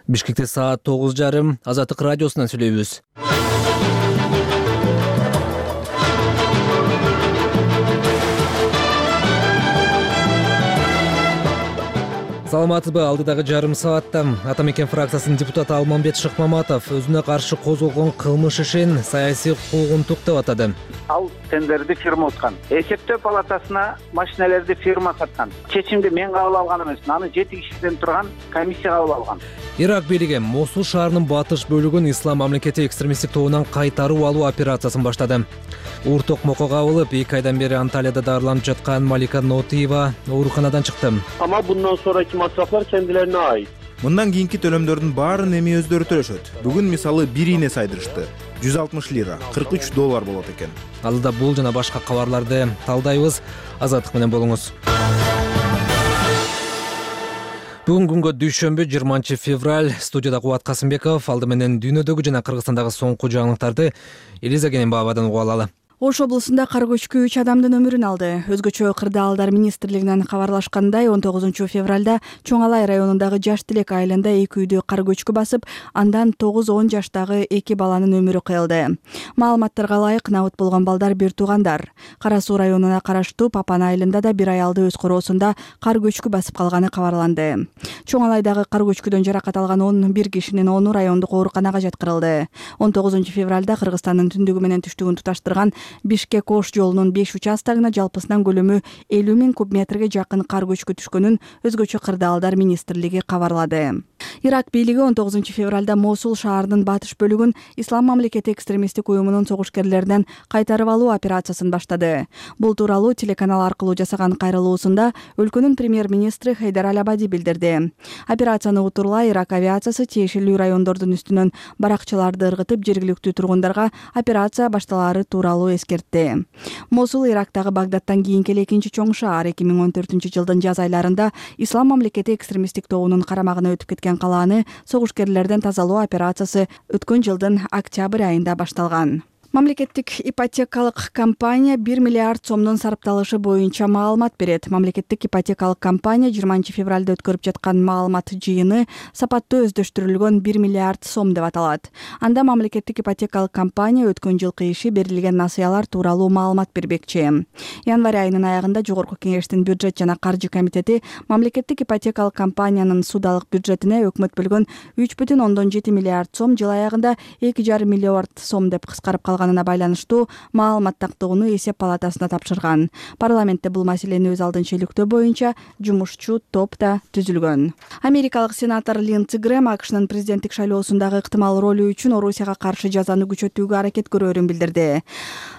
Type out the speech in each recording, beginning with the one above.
Бишкекте саат 9:30 Азаттык радиосунан сүйлөйбүз. Саламатсызбы? Алдыдагы жарым саатта Ата мекен фракциясынын депутаты Алмамбет Шыкмаматов өзүнө каршы козголгон кылмыш ишин саясий куугунтук деп атады. Ал тендерди фирма уткан. Эсептөө палатасына машинелерди фирма саткан. Чечимди мен кабыл алган эмес, аны 7 кишиден турган комиссия кабыл алган. Ирак бийлиги Мосул шаарынын батыш бөлүгүн Ислам мамлекети экстремисттик тобунан кайтарып алуу операциясын баштады. Уур токмокко кабылып, 2 айдан бери Анталияда дарыланып жаткан Малика Нотиева ооруканадан чыкты. Ама bundan sonraki masraflar kendilerine ait. Мындан кийинки төлөмдөрдүн баарын эми өздөрү төлөшөт. Бүгүн мисалы бир ийне сайдырышты. 160 лира, 43 доллар болот экен. Алдыда бул жана башка кабарларды талдайбыз. Азаттык менен болуңуз. Бүгүн күнгө дүйшөмбү 20 февраль. Студияда Кубат Касымбеков. Алды менен дүйнөдөгү жана Кыргызстандагы соңку жаңылыктарды Элиза Кененбаевадан угуп алалы. Ош облусунда кар көчкү 3 адамдын өмүрүн алды. Өзгөчө Кырдаалдар министрлигинен кабарлашкандай, 19 февралда Чоң Алай районундагы Жаш Тилек айылында 2 үйдү кар көчкү басып, андан 9-10 жаштагы 2 баланын өмүрү кыйылды. Маалыматтарга ылайык набыт болгон балдар бир туугандар. Кара Суу районуна караштуу Папан айылында да бир аялды өз короосунда кар көчкү басып калганы кабарланды. Чоң Алайдагы кар көчкүдөн жаракат алган 11 кишинин 10 райондук ооруканага жаткырылды. 19 февралда Кыргызстандын түндүгү менен түштүгүн туташтырган Бишкек-Ош жолунун 5 участогуна жалпысынан көлөмү 50 000 куб метрге жакын кар көчкү түшкөнүн өзгөчө Кырдаалдар министрлиги кабарлады. Ирак бийлиги 19 февралда Мосул шаарынын батыш бөлүгүн Ислам мамлекети экстремисттик уюмунун согушкерлеринен кайтарып алуу операциясын баштады. Бул тууралуу телеканал аркылуу жасаган кайрылуусунда өлкөнүн премьер-министри Хайдар Аль-Абади билдирди. Операцияны утурлай Ирак авиациясы тиешелүү райондордун үстүнөн баракчаларды ыргытып, жергиликтүү тургундарга операция башталаары тууралуу эскертти. Мосул Ирактагы Багдадтан кийинки экинчи чоң шаар. 2014 жылдын жаз айларында Ислам мамлекети экстремисттик тобунун карамагына өтүп кеткен калааны согушкерлерден тазалоо операциясы өткөн жылдын октябрь айында башталган. Мамлекеттик ипотекалык компания 1 миллиард сомдун сарапталышы боюнча маалымат берет. Мамлекеттик ипотекалык компания 20 февралда өткөрүп жаткан маалымат жыйыны сапаттуу өздөштүрүлгөн 1 миллиард сом деп аталат. Анда мамлекеттик ипотекалык компания өткөн жылкы иши берилген насыялар тууралуу маалымат бербекчи. Январь айынын аягында Жогорку Кеңештин бюджет жана каржы комитети мамлекеттик ипотекалык компаниянын судалык бюджетине өкмөт бөлгөн 3,7 миллиард сом жыл аягында 2,5 миллиард сом деп кыскарып калган байланыштуу маалымат тактоону эсеп палатасына тапшырган. Парламентте бул маселени өз алдынча иликтөө боюнча жумушчу топ да түзүлгөн. Америкалык сенатор Линдси Грэм АКШнын президенттик шайлоосундагы ыктымал ролу үчүн Орусияга каршы жазаны күчөтүүгө аракет көрөрүн билдирди.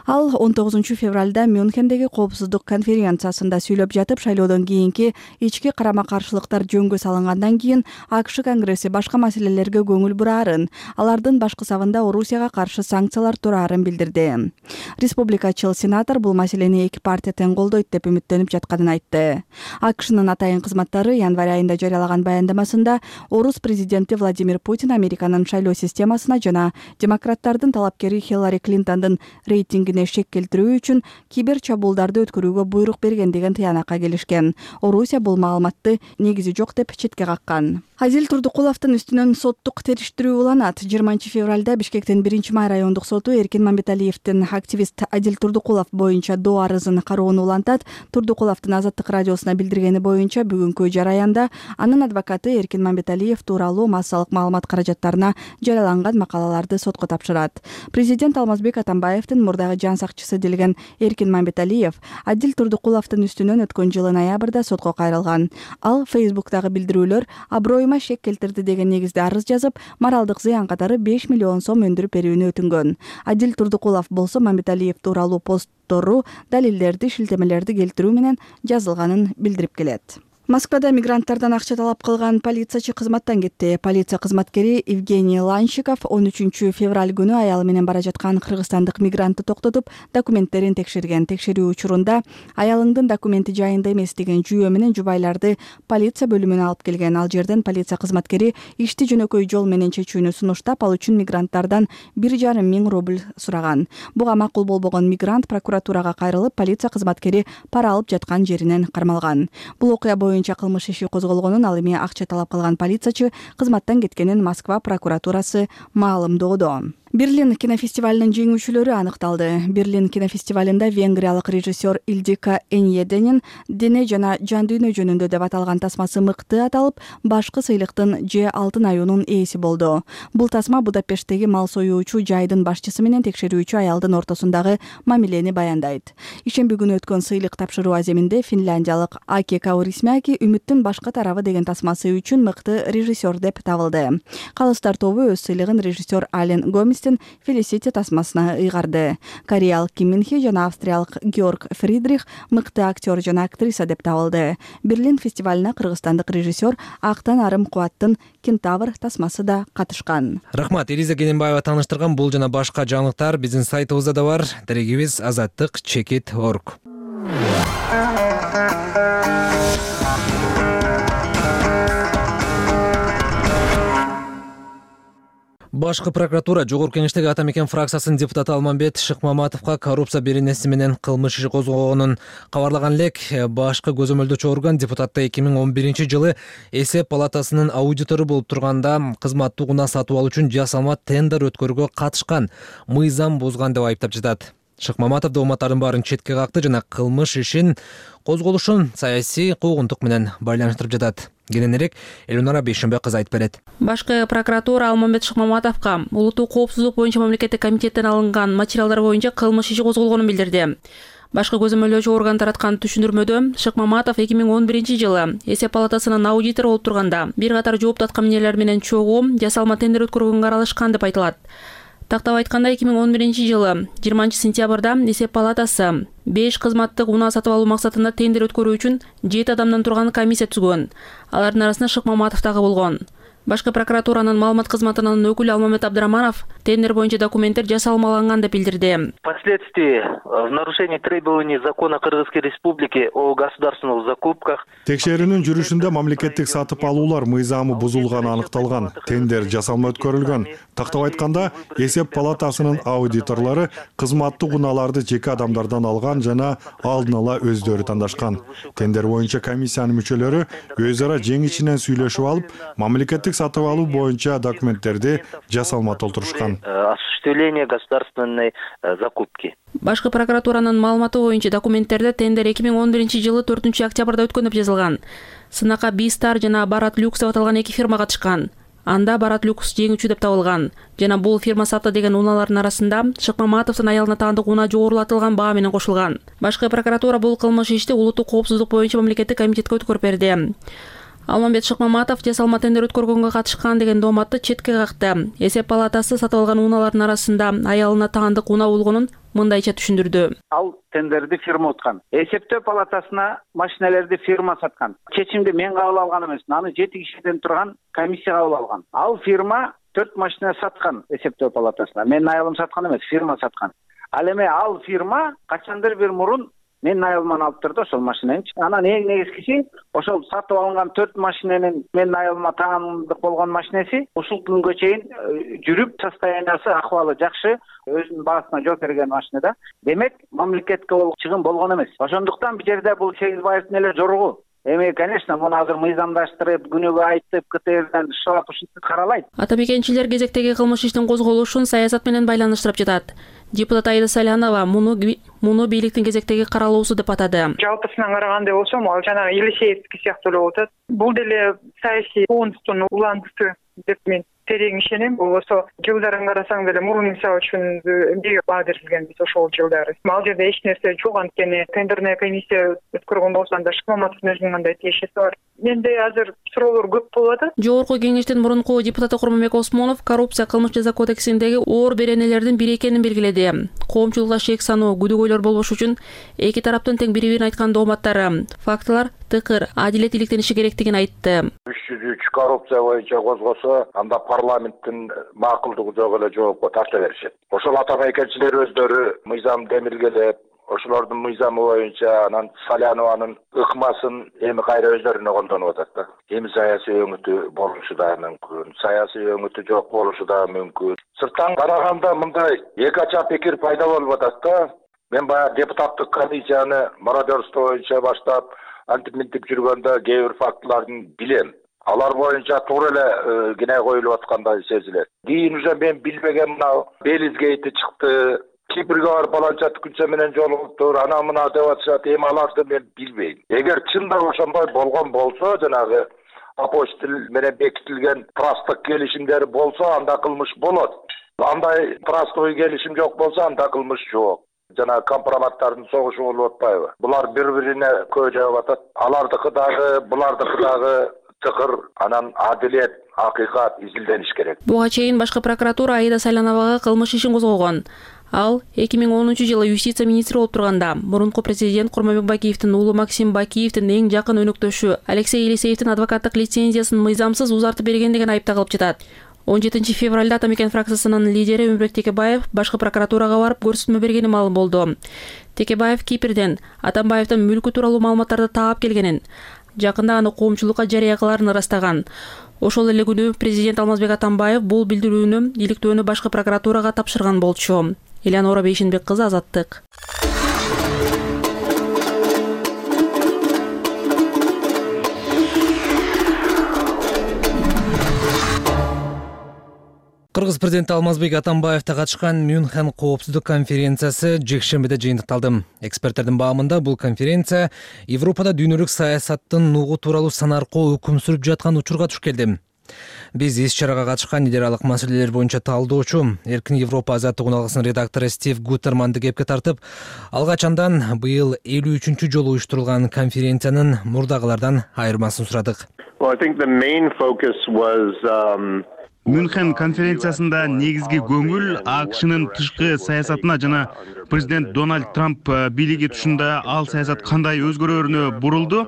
Ал 19 февралда Мюнхендеги коопсуздук конференциясында сүйлөп жатып, шайлоодон кийинки ички карама-каршылыктар жөнгө салынгандан кийин АКШ Конгресси башка маселелерге көңүл бурарын, алардын башкы сабында Орусияга каршы санкциялар турарын билдирди. Республикачыл сенатор бул маселени эки партия тең колдойт деп үмүттөнүп жатканын айтты. АКШнын атайын кызматтары январь айында жарыялаган баяндамасында орус президенти Владимир Путин Американын шайлоо системасына жана демократтардын талапкери Хиллари Клинтондун рейтингине шек келтирүү үчүн кибер чабуулдарды өткөрүүгө буйрук берген деген тыянакка келишкен. Орусия бул маалыматты негизи жок деп четке каккан. Адил Турдукуловдун үстүнөн соттук териштирүү уланат. 20 февралда Бишкектин 1-май райондук соту Эркин Мамбеталиевдин активист Адил Турдукулов боюнча доо арызын кароону улантат. Турдукуловдун Азаттык радиосуна билдиргени боюнча бүгүнкү жараянда анын адвокаты Эркин Мамбеталиев тууралуу массалык маалымат каражаттарына жарыяланган макалаларды сотко тапшырат. Президент Алмазбек Атамбаевдин мурдагы жан сакчысы делген Эркин Мамбеталиев Адил Турдукуловдун үстүнөн өткөн жылы ноябрда сотко кайрылган. Ал Facebook'тагы билдирүүлөр аброюма шек келтирди деген негизде арыз жазып, моралдык зыян катары 5 миллион сом өндүрүп берүүнү өтүнгөн. Адил Турдукулов болсо Мамбеталиев тууралуу посттору, далилдерди, шилтемелерди келтирүү менен жазылганын билдирип келет. Москвада мигранттардан акча талап кылган полициячы кызматтан кетти. Полиция кызматкери Евгений Ланщиков 13 февраль күнү аялы менен бара жаткан кыргызстандык мигрантты токтотуп, документтерин текшерген. Текшерүү учурунда аялыңдын документи жайында эмес деген жүйө менен жубайларды полиция бөлүмүнө алып келген. Ал жерден полиция кызматкери ишти жөнөкөй жол менен чечүүнү сунуштап, ал үчүн мигранттардан 1,5 миң рубль сураган. Буга макул болбогон мигрант прокуратурага кайрылып, полиция кызматкери пара алып жаткан жеринен кармалган. Бул окуя боюнча кылмыш иши козголгонун, ал эми акча талап кылган полициячы кызматтан кеткенин Москва прокуратурасы маалымдоодо. Берлин кинофестивалынын жеңүүчүлөрү аныкталды. Берлин кинофестивалында венгриялык режиссер Ildiko Enyedенин «Дене жана жан дүйнө жөнүндө» деп аталган тасмасы мыкты аталып, башкы сыйлыктын Ж алтын аюунун ээси болду. Бул тасма Будапешттеги мал союучу жайдын башчысы менен текшерүүчү аялдын ортосундагы мамилени баяндайт. Ишемби күнү өткөн сыйлык тапшыруу аземинде финляндиялык Аки Каурисмяки «Үмүттүн башка тарабы» деген тасмасы үчүн мыкты режиссер деп табылды. Калыстар тобу өз сыйлыгын режиссер Ален Гоместин Felicity тасмасына ыйгарды. Кореялык Ким Мин Хе жана австриялык Георг Фридрих мыкты актер жана актриса деп табылды. Берлин фестивалына кыргызстандык режиссер Актан Арым Кубаттын «Кентавр» тасмасы да катышкан. Рахмат, Элиза Кененбаева тааныштырган бул жана башка жаңылыктар биздин сайтыбызда да бар. Дарегибиз azаттык.org. Башкы прокуратура Жогорку Кеңештеги Ата Мекен фракциясынын депутаты Алмамбет Шыкмаматовго коррупция беренеси менен кылмыш иши козгогонун кабарлаган элек. Башкы көзөмөлдөөчү орган депутатты 2011-жылы эсеп палатасынын аудитору болуп турганда кызматтык унаа сатып алуу үчүн жасалма тендер өткөрүүгө катышкан, мыйзам бузган деп айыптап жатат. Шыкмаматов дооматтардын баарын четке какты жана кылмыш ишин козголушун саясий куугунтук менен байланыштырып жатат. Кененирээк Элюнара Бейшембек кызы айтып берет. Башкы прокуратура Алмамбет Шыкмаматовго улуттук коопсуздук боюнча мамлекеттик комитеттен алынган материалдар боюнча кылмыш иши козголгонун билдирди. Башкы көзөмөлдөөчү орган тараткан түшүндүрмөдө Шыкмаматов 2011-жылы эсеп палатасынын аудитору болуп турганда бир катар жоопту аткаминерлер менен чогуу жасалма тендер өткөргөнгө аралашкан деп айтылат. Тактап айтканда 2011-жылы 20-сентябрда эсеп палатасы 5 кызматтык унаа сатып алуу максатында тендер өткөрүү үчүн 7 адамдан турган комиссия түзгөн. Алардын арасында Шыкмаматов дагы болгон. Башкы прокуратуранын маалымат кызматынын өкүлү Алмамет Абдыраманов тендер боюнча документтер жасалмаланган деп билдирди. Впоследствии в нарушении требований закона Кыргызской Республики о государственных закупках текшерүүнүн жүрүшүндө мамлекеттик сатып алуулар мыйзамы бузулганы аныкталган, тендер жасалма өткөрүлгөн. Тактап айтканда, эсеп палатасынын аудиторлору кызматтык унааларды жеке адамдардан алган жана алдын ала өздөрү тандашкан. Тендер боюнча комиссиянын мүчөлөрү өз ара жең ичинен сүйлөшүп алып, мамлекеттик сатып алуу боюнча документтерди жасалма толтурушкан. Осуществление государственной закупки. Башкы прокуратуранын маалыматы боюнча документтерде тендер 2011-жылы 4-октябрда өткөн деп жазылган. Сынака Бистар жана Барат Люкс деп аталган 2 фирма катышкан. Анда Барат Люкс жеңүүчү деп табылган. Жана бул фирма сатты деген унаалардын арасында Шыкмаматовдун аялына таандык унаа жогорулатылган баа менен кошулган. Башкы прокуратура бул кылмыш ишти улуттук коопсуздук боюнча мамлекеттик комитетке өткөрүп берди. Алмамбет Шыкмаматов жасалма тендер өткөргөнгө катышкан деген дооматты четке какты. Эсеп палатасы сатып алган унаалардын арасында аялына таандык унаа болгонун мындайча түшүндүрдү. Ал тендерди фирма уткан. Эсептөө палатасына машинелерди фирма саткан. Чечимди мен кабыл алган эмес, аны 7 кишиден турган комиссия кабыл алган. Ал фирма 4 машина саткан эсептөө палатасына. Менин аялым саткан эмес, фирма саткан. Ал эми ал фирма качандыр бир мурун менин аялыман алып турду ошол машинени. Анан эң негизгиси ошол сатып алынган 4 машиненин менин аялыма таандык болгон машинеси ушул күнгө чейин жүрүп, состояниясы, акыбалы жакшы, өзүнүн баасына жооп берген машина да. Демек, мамлекетке чыгым болгон эмес. Ошондуктан бул жерде бул Сегизбаевдин эле жоругу. Эми, конечно, муну азыр мыйзамдаштырып, күнөөгө айтып, КТРден шылап ушинтип каралайт. Ата Мекенчилер кезектеги кылмыш иштин козголушун саясат менен байланыштырып жатат. Депутат Айда Салянова муну бийликтин кезектеги каралуусу деп атады. Жалпысынан караганда болсом, ал жана Елисеевский сыяктуу эле болуп атат. Бул деле саясий куугунтуктун улантысы деп мен терең ишенем. Болбосо жылдарын карасаң деле мурун мисалы үчүн эмнеге баа берилген биз ошол жылдары. Ал жерде эч нерсе жок, анткени тендерная комиссия өткөргөн болсо анда Шыкмаматовдун өзүнүн кандай тиешеси бар. Менде азыр суроолор көп болуп атат. Жогорку Кеңештин мурунку депутаты Курманбек Осмонов коррупция кылмыш жаза кодексиндеги оор беренелердин бири экенин белгиледи. Коомчулукка шек саноо, күдөгөйлөр болбош үчүн эки тараптын тең бири-бирин айткан дооматтары, фактылар тыкыр, адилет иликтениши керектигин айтты. 303 коррупция боюнча козгосо, анда парламенттин макулдугу жок эле жоопко тарта беришет. Ошол ата мекенчилер өздөрү мыйзам демилгелеп, ошолордун мыйзамы боюнча анан Салянованын ыкмасын эми кайра өздөрүнө колдонуп атат да. Эми саясий өңүтү болушу да мүмкүн, саясий өңүтү жок болушу да мүмкүн. Сырттан караганда мындай эки ача пикир пайда болуп атат да. Мен баягы депутаттык комиссияны мародерство боюнча баштап, антип мынтип жүргөндө кээ бир фактыларын билем. Алар боюнча туура эле кинай коюлуп аткандай сезилет. Кийин уже мен билбеген мына Белизгейти чыкты. Кипрге барып баланча күнчө менен жолугуптур, ана мына деп атышат. Эми аларды мен билбейм. Эгер чында ошондой болгон болсо, жанагы апостил менен бекитилген трасттык келишимдер болсо, анда кылмыш болот. Андай трасттык келишим жок болсо, анда кылмыш жок. Жана компроматтардын согушу болуп атпайбы? Булар бири-бирине көө жаап атат. Алардыкы дагы, булардыкы дагы тыкыр, анан адилет, акыйкат изилдениш керек. Буга чейин башкы прокуратура Аида Сайлановага кылмыш ишин козгогон. Ал 2010-жылы юстиция министри болуп турганда мурунку президент Курманбек Бакиевдин уулу Максим Бакиевдин эң жакын өнөктөшү Алексей Елисеевдин адвокаттык лицензиясын мыйзамсыз узартып берген деген айыпталып жатат. 17 февралда Атамекен фракциясынын лидери Өмүрбек Текебаев башкы прокуратурага барып көрсөтмө бергени маалым болду. Текебаев Кипрден Атамбаевдин мүлкү тууралуу маалыматтарды таап келгенин, жакында аны коомчулукка жарыя кыларын ырастаган. Ошол эле күнү президент Алмазбек Атамбаев бул билдирүүнү иликтөөнү башкы прокуратурага тапшырган болчу. Элеонора Бейшенбек кызы, Азаттык. Кыргыз президенти Алмазбек Атамбаевда катышкан Мюнхен коопсуздук конференциясы жекшембиде жыйынтыкталды. Эксперттердин баамында бул конференция Европада дүйнөлүк саясаттын нугу тууралуу санаркоо өкүм сүрүп жаткан учурга туш келди. Биз иш-чарага катышкан эл аралык маселелер боюнча талдоочу Эркин Европа азаттык уналгысынын редактору Стив Гуттерманды кепке тартып, алгач андан быйыл 53-чү жолу уюштурулган конференциянын мурдагылардан айырмасын сурадык. Мюнхен конференциясында негизги көңүл АКШнын тышкы саясатына жана президент Дональд Трамп бийлиги тушунда ал саясат кандай өзгөрөрүнө бурулду.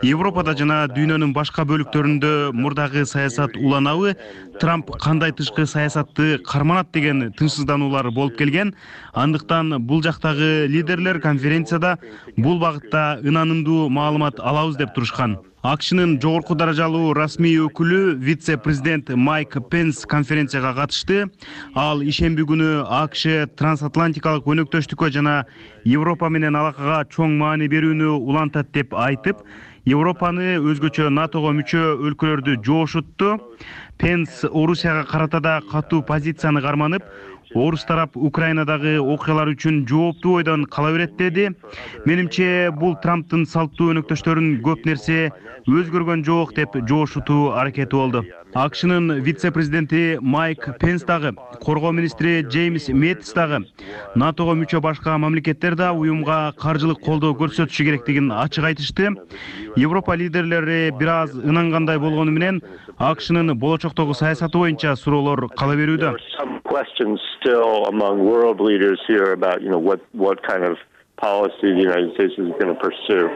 Европада жана дүйнөнүн башка бөлүктөрүндө мурдагы саясат уланабы, Трамп кандай тышкы саясатты карманат деген тынчсыздануулар болуп келген. Андыктан бул жактагы лидерлер конференцияда бул багытта ынанымдуу маалымат алабыз деп турушкан. АКШнын жогорку даражалуу расмий өкүлү вице-президент Майк Пенс конференцияга катышты. Ал ишемби күнү АКШ трансатлантикалык өнөктөштүккө жана Европа менен алакага чоң маани берүүнү улантат деп айтып, Европаны өзгөчө НАТОго мүчө өлкөлөрдү жоошутту. Пенс Орусияга карата да катуу позицияны карманып, Орус тарап Украинадагы окуялар үчүн жооптуу ойдон кала берет деди. Менимче бул Трамптын салттуу өнөктөштөрүн көп нерсе өзгөргөн жок деп жоошутуу аракети болду. АКШнын вице-президенти Майк Пенс дагы, коргоо министри Джеймс Мэттис дагы НАТОго мүчө башка мамлекеттер да уюмга каржылык колдоо көрсөтүшү керектигин ачык айтышты. Европа лидерлери бир аз ынангандай болгону менен АКШнын болочоктогу саясаты боюнча суроолор кала берүүдө. Questions still among world leaders here about, what kind of policy the United States is going to pursue.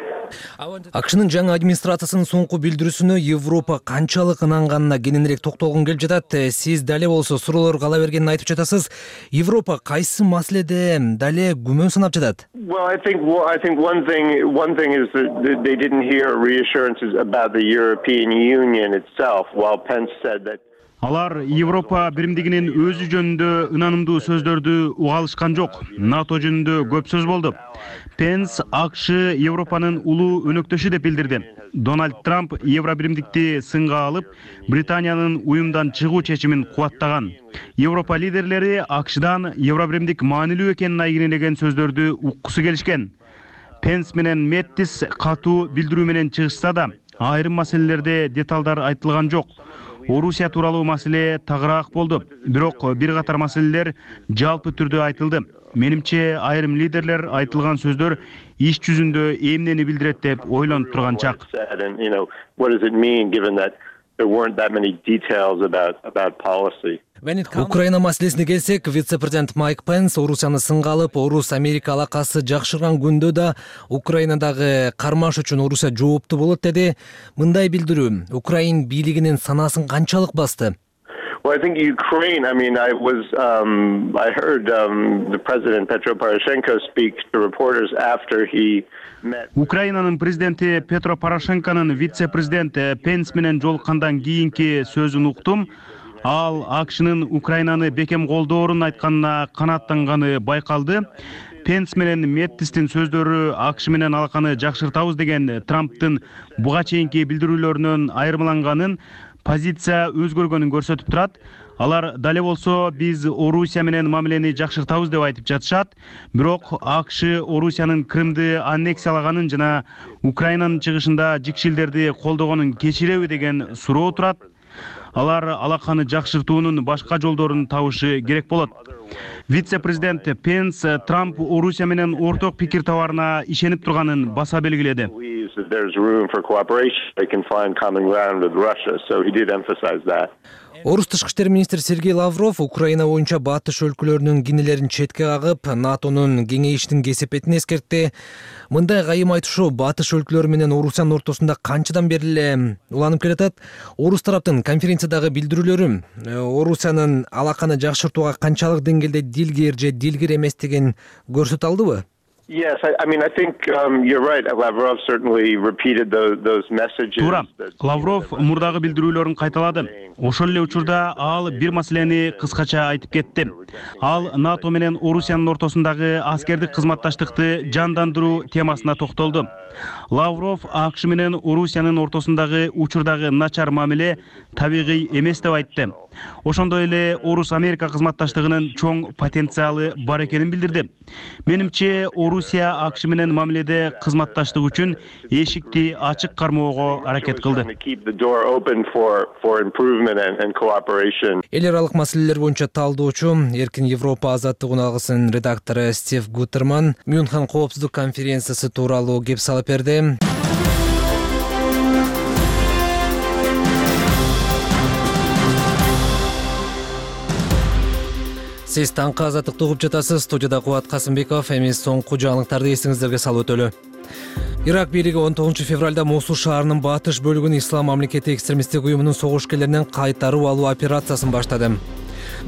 АКШнын жаңы администрациясынын соңку билдирүүсүнө Европа канчалык ынанганына кененирээк токтолгум келип жатат. Сиз дале болсо суроолор кала бергенин айтып жатасыз. Европа кайсы маселеде дале күмөн санап жатат? Well, I think one thing is that they didn't hear reassurances about the European Union itself, while Pence said that Алар Европа биримдигинин өзү жөнүндө ынанымдуу сөздөрдү уга алышкан жок. НАТО жөнүндө көп сөз болду. Пенс АКШ Европанын улуу өнөктөшү деп билдирди. Дональд Трамп Евробиримдикти сынга алып, Британиянын уюмдан чыгуу чечимин кубаттаган. Европа лидерлери АКШдан Евробиримдик маанилүү экенин айгинелеген сөздөрдү уккусу келишкен. Пенс менен Мэттис катуу билдирүү менен чыгышса да, айрым маселелерде деталдар айтылган жок. Орусия тууралуу маселе тагыраак болду. Бирок бир катар маселелер жалпы түрдө айтылды. Менимче айрым лидерлер айтылган сөздөр иш жүзүндө эмнени билдирет деп ойлонуп турган чак. Украина маселесине келсек, вице-президент Майк Пенс Орусияны сынга алып, Орус-Америка алакасы жакшырган күндө да Украинадагы кармаш үчүн Орусия жооптуу болот деди. Мындай билдирүү Украин бийлигинин санасын канчалык басты? Well, I think Ukraine, I heard the President Petro Poroshenko speak to reporters after he met. Украинанын президенти Петро Порошенконун вице-президент Пенс менен жолуккандан кийинки сөзүн уктум. Ал АКШнын Украинаны бекем колдоорун айтканына канааттанганы байкалды. Пенс менен Мэттистин сөздөрү АКШ менен алаканы жакшыртабыз деген Трамптын буга чейинки билдирүүлөрүнөн айырмаланганын, позиция өзгөргөнүн көрсөтүп турат. Алар дале болсо биз Орусия менен мамилени жакшыртабыз деп айтып жатышат. Бирок АКШ Орусиянын Крымды аннексиялаганын жана Украинанын чыгышында жикшилдерди колдогонун кечиреби деген суроо турат. Алар алаканы жакшыртуунун башка жолдорун табышы керек болот. Вице-президент Пенс Трамп Орусия менен орток пикир табарына ишенип турганын баса белгиледи. Орус тышкы иштер министри Сергей Лавров Украина боюнча батыш өлкөлөрүнүн кинелерин четке кагып, НАТОнун кеңейиштин кесепетин эскертти. Мындай кайым айтышуу батыш өлкөлөрү менен Орусиянын ортосунда канчадан бери эле уланып келатат? Орус тараптын конференциядагы билдирүүлөрү Орусиянын алаканы жакшыртууга канчалык деңгээлде дилгер же дилгер эместигин көрсөтө алдыбы? Yes, I mean, I think you're right. Lavrov certainly repeated those messages. Туура. Лавров мурдагы билдирүүлөрүн кайталады. Ошол эле учурда ал бир маселени кыскача айтып кетти. Ал НАТО менен Орусиянын ортосундагы аскердик кызматташтыкты жандандыруу темасына токтолду. Лавров АКШ менен Орусиянын ортосундагы учурдагы начар мамиле табигый эмес деп айтты. Ошондой эле Орус-Америка кызматташтыгынын чоң потенциалы бар экенин билдирди. Менимче Орусия АКШ менен мамиледе кызматташтык үчүн эшикти ачык кармоого аракет кылды. Эл аралык маселелер боюнча талдоочу Эркин Европа азаттык алгысынын редактору Стив Гуттерман Мюнхен коопсуздук конференциясы тууралуу кеп салып берди. Сиз таңкы азаттыкты угуп жатасыз. Студияда Кубат Касымбеков. Эмес соңку жаңылыктарды эсиңиздерге салып өтөлү. Ирак бийлиги 19 февралда Мосул шаарынын батыш бөлүгүн Ислам мамлекети экстремисттик уюмунун согушкерлеринен кайтарып алуу операциясын баштады.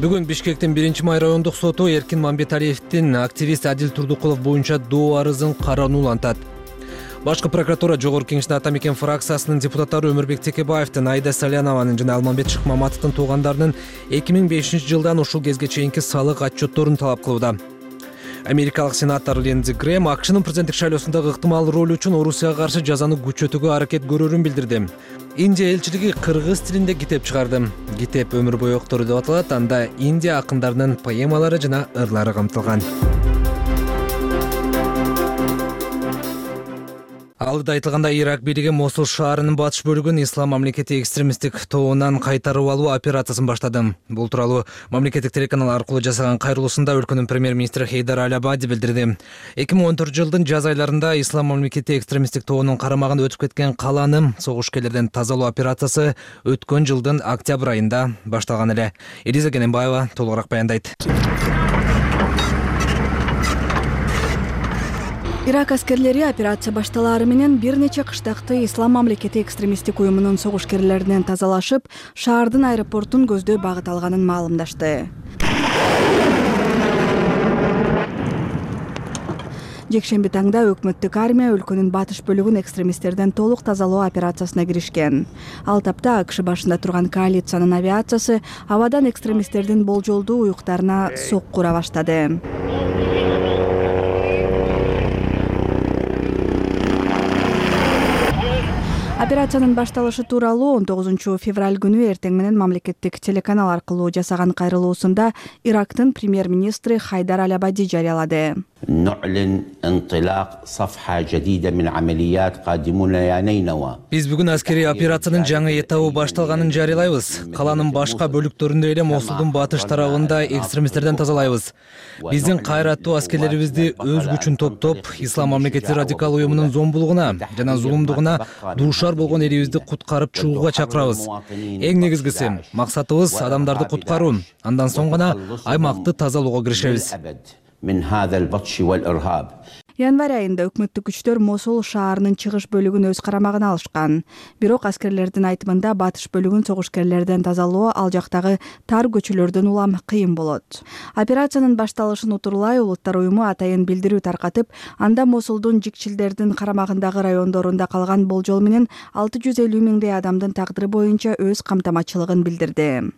Бүгүн Бишкектин 1-май райондук соту Эркин Мамбеталиевдин активист Адил Турдукулов боюнча доо арызын каранууну антат. Башкы прокуратура Жогорку Кеңештин Ата Мекен фракциясынын депутаттары Өмүрбек Текебаевдин, Айда Салянованын жана Алмамбет Шыкмаматовдун туугандарынын 2005-жылдан ушул кезге чейинки салык отчетторун талап кылууда. Америкалык сенатор Линдзи Грэм АКШнын президенттик шайлоосундагы ыктымал ролу үчүн Орусияга каршы жазаны күчөтүүгө аракет көрөрүн билдирди. Индия элчилиги кыргыз тилинде китеп чыгарды. Китеп Өмүр бою октору деп аталат. Анда Индия акындарынын поэмалары жана ырлары камтылган. Алда айтылгандай, Ирак бийлиги Мосул шаарынын батыш бөлүгүн Ислам мамлекети экстремисттик тобунан кайтарып алуу операциясын баштады. Бул тууралуу мамлекеттик телеканал аркылуу жасаган кайрылуусунда өлкөнүн премьер-министри Хейдар Аль-Абади билдирди. 2014-жылдын жаз айларында Ислам мамлекети экстремисттик тобунун карамагында өтүп кеткен каланы согушкерлерден тазалоо операциясы өткөн жылдын октябрь айында башталган эле. Элиза Кененбаева толугураак баяндайт. Ирак аскерлери операция башталаары менен бир нече кыштакты Ислам мамлекети экстремисттик уюмунун согушкерлеринен тазалашып, шаардын аэропортун көздөй багыт алганын маалымдашты. Жекшемби таңда өкмөттүк армия өлкөнүн батыш бөлүгүн экстремисттерден толук тазалоо операциясына киришкен. Ал тапта АКШ башында турган коалициянын авиациясы абадан экстремисттердин болжолдуу уюктарына сокку ура баштады. Операциянын башталышы тууралуу 19 февраль күнү эртең менен мамлекеттик телеканал аркылуу жасаган кайрылуусунда Ирактын премьер-министри Хайдар Аль-Абади жарыялады. Биз бүгүн аскерий операциянын жаңы этабы башталганын жарыялайбыз. Каланын башка бөлүктөрүндө эле Мосулдун батыш тарабында экстремисттерден тазалайбыз. Биздин кайраттуу аскерлерибизди өз күчүн топтоп, Ислам мамлекети радикал уюмунун зомбулугуна жана зулумдугуна дуушар болгон элибизди куткарып чыгууга чакырабыз. Эң негизгиси максатыбыз адамдарды куткаруу. Андан соң гана аймакты тазалоого киришебиз. Январь айында өкмөттүк күчтөр Мосул шаарынын чыгыш бөлүгүн өз карамагына алышкан. Бирок аскерлердин айтымында батыш бөлүгүн согушкерлерден тазалоо ал жактагы тар көчөлөрдөн улам кыйын болот. Операциянын башталышын утурлай Улуттар уюму атайын билдирүү таркатып, анда Мосулдун жикчилдердин карамагындагы райондорунда калган болжол менен 650 миңдей адамдын тагдыры боюнча өз камтамачылыгын билдирди.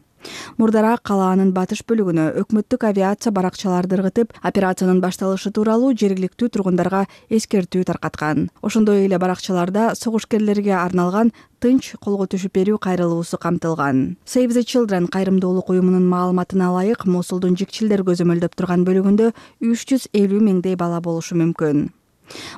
Мурдараак калаанын батыш бөлүгүнө өкмөттүк авиация баракчаларды ыргытып, операциянын башталышы тууралуу жергиликтүү тургундарга эскертүү таркаткан. Ошондой эле баракчаларда согушкерлерге арналган тынч колго түшүп берүү кайрылуусу камтылган. Save the Children кайрымдуулук уюмунун маалыматына ылайык, Мосулдун жикчилдер көзөмөлдөп турган бөлүгүндө 350 миңдей бала болушу мүмкүн.